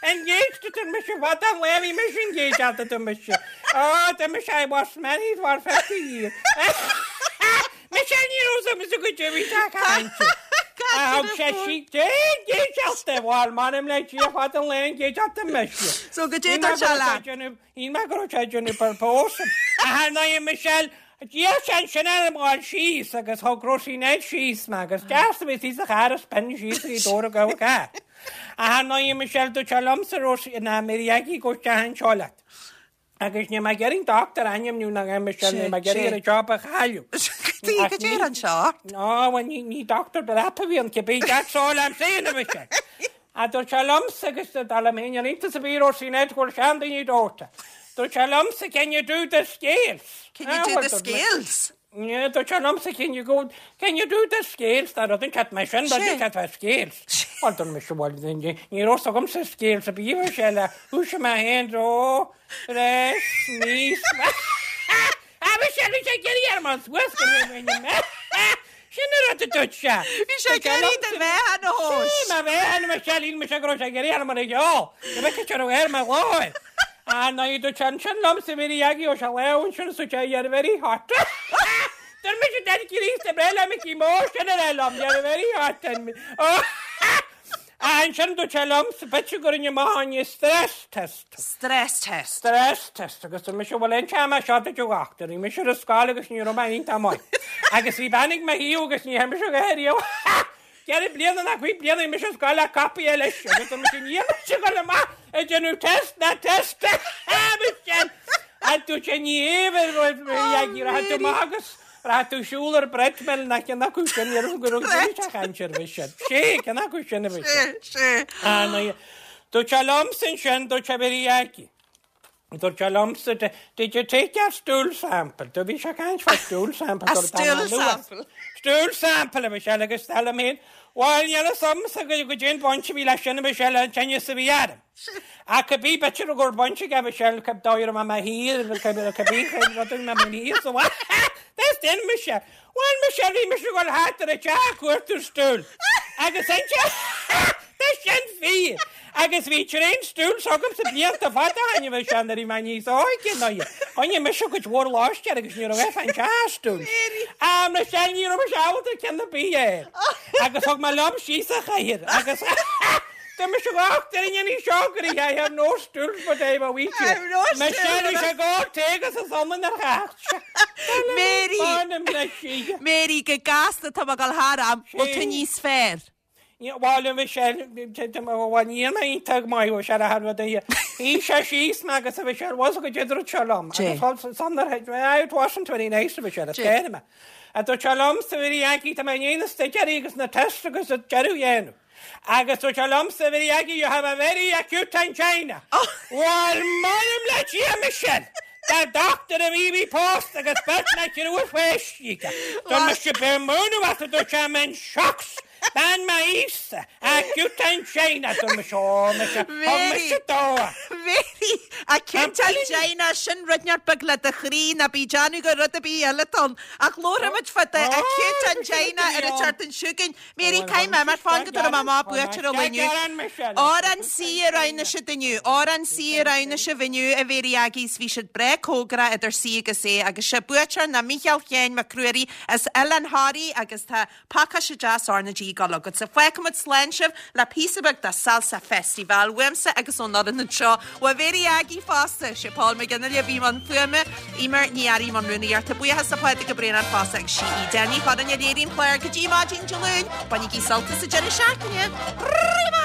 engaged dúirt mise what the hell bhí mise engaged at dúirt mise. Oh dúirt mise I was married for fifty years. Mise ní raibh mise go dtí bhí sé caint. A thug sé sí engaged bhuel m'anam le Dia fad an lae engaged at mise. So go dté dúirt sé leat? Shíl mé go raibh sé ag déanamh propose. Ach ar ndóigh Michelle, d'iarr sé ansin orm dhul síos agus thug Róisín Ned síos mé agus deas a bhí síos sa charr is b'in síos go dtí dór a gabhadh é. Ach ar ndóigh Michelle, dúirt sé liomsa Róisín, ná Mary Aggie go isteach anseo leat. Agus níl mé ag iarraidh an dochtúir a ainmniú ná Michelle, níl mé ag iarraidh ar an job a chailleadh. Go dtí go dté anseo? Ó, bhuel, ní, ní dochtúir breap a bhí ann cibé, that's all I'm saying, a Michelle. A dúirt sé liomsa agus dar liom féin níl iontas ar bith Róisín Ned go bhfuil seandaoine dóite. Dúirt sé liomsa, can you do the scales? Can you do the scales? Yeah, dúirt sé liomsa, can you go, can you do the scales? Tá rud inteacht mar sin, rud inteacht fá scales. Bhuel, dúirt mise, bhuel, ní raibh fhios agamsa scales a bhí a sé le, thúisigh mé féin, dó, re, mi, Ah, bhí sé, bhí sé ag iarraidh orm an suas go raibh mé mé. Sin an rud a dúirt sé. Bhí sé ag iarraidh do mheáchan a thomhas. Sí, mo mheáchan, Michelle, shíl mise go raibh sé ag iarraidh orm ar a gheall. Go bhfeicfeadh sé raibh air mo ghlór. Ah, ná dúirt sé ansin liomsa, Mary Aggie, ó sé lá ansin is dúirt sé, you're very hot. Dúirt mise, Daddy Críost, breá le Mickey Mór, sin a raibh liom, you're very hot. And, oh, ah, ansin dúirt sé liomsa, b'fhéidir go rinne mé an stress test. Stress test. Stress test agus dúirt mise, bhuel, an t-am seo duit a dhochtúir, bhí mise ar an scoil agus ní raibh mé iontach maith. Agus bhí bean ag mo thaobh agus ní thearn mise go riamh. Ceithre bliana ná cúig bliana bhí mise ar scoil le copaí leis agus dúirt mise, níl mise ag dul amach ag déanamh test ná test. Michelle. A dúirt sé, ní hé rachaidh tú amach agus rachaidh tú siúl ar treadmill ná ceann acu sin, ní raibh go raibh sé caint ar bith sin. Sé, ceann acu sin a bhí sé. Sé, sé. Ah, ná, dúirt sé liomsa ansin, dúirt sé, Mary Aggie. Dúirt sé liomsa, did you take your stool sample? Do bhí sé caint fá stool sample. A dúirt stool Anna Lewis. sample. Stool sample a Michelle agus dar liom féin. Bhuel, níl fhios agamsa go go dtéann baint a bhí leis sin a Michelle an tinneas a bhí orm. Ach cibé b'fhéidir gur baint aige Michelle cib dóigh raibh mé thiar, cibé rud a bhí mé thiar sa bhaile. That's den Michelle. Bhuel Michelle bhí mise ag dul thart ar an teach ag cuartú stool. Agus ansin Tá sin fíor. Agus bhí train stool s'agamsa blianta fada ó shin a Michelle nuair a bhí mé níos óige ná í. Choinnigh mise cuid mhór lóistín agus ní raibh aon fan stool. Ah Michelle ní raibh mise ábalta ceann ar bith a fháil. Agus thug mé liom síos an chathaoir agus Tá mise gach duine ní seo go I have no stools but I have a wheelchair. I have no Michelle stools. bhí sé go tégus is iomann ar theacht. Mary. Mary. Mary. Mary, go gasta tá mé ag dul thar am, bhfuil tú níos fearr? Bhuel Michelle, bhuel níl mé iontach maith ó sé a rud é. Shuigh sé síos mé agus a Michelle was go dúirt sé liom. Dé. Agus san it wasn't very nice a Michelle, Dé. scare me. A dúirt sé liomsa Mary Aggie tá mé in na sticerí agus na test agus a deireadh dhéanamh. Agus dúirt sé liomsa Mary Aggie, you have a very acute angina. Oh. Well, m'anam le Dia Michelle. Tá doctor a bhí bhí post agus beirt na triúr pháistí. Dúirt mise be múnú as a dúirt sé I'm in shocks. Bean m'aois acute angina dúirt mise ó mise ó Mary. mise dó. Mary, acute angina sin rud inteacht beag le do chroí ná bí déanamh gur rud ar bith eile ann. Ach labhróimid fá do acute angina ar an tseachtain seo chugainn. Mary, caithfidh mé mar fan go dtabharfaidh mé amach buaiteoir an lae inniu. Amhrán C a roghnaigh siad inniu. Amhrán C a roghnaigh sibh inniu a Mhary Aggies bhí siad breá cóngarach idir C agus A agus sé buaiteoir ná Mícheál Sheáin Mac Ruairí as Oileán Thoraí agus tá pacáiste deas R na G ag dul agatsa. Fágfaimid slán sibh le píosa beag de Salsa Festival uaimse agus ón fhoireann anseo. Ó Mhary Aggie fosta sé Paul McGinley a bhí i mbun fuaime Emer Ní Fhearraigh i mbun rúnaíochta buíochas le Pádraig Ó Braonáin fosta agus sí í Danny Chodan a léiríonn clár go dtí maidin Dé Luain, bainigí sult as an deireadh seachtaine. Rima!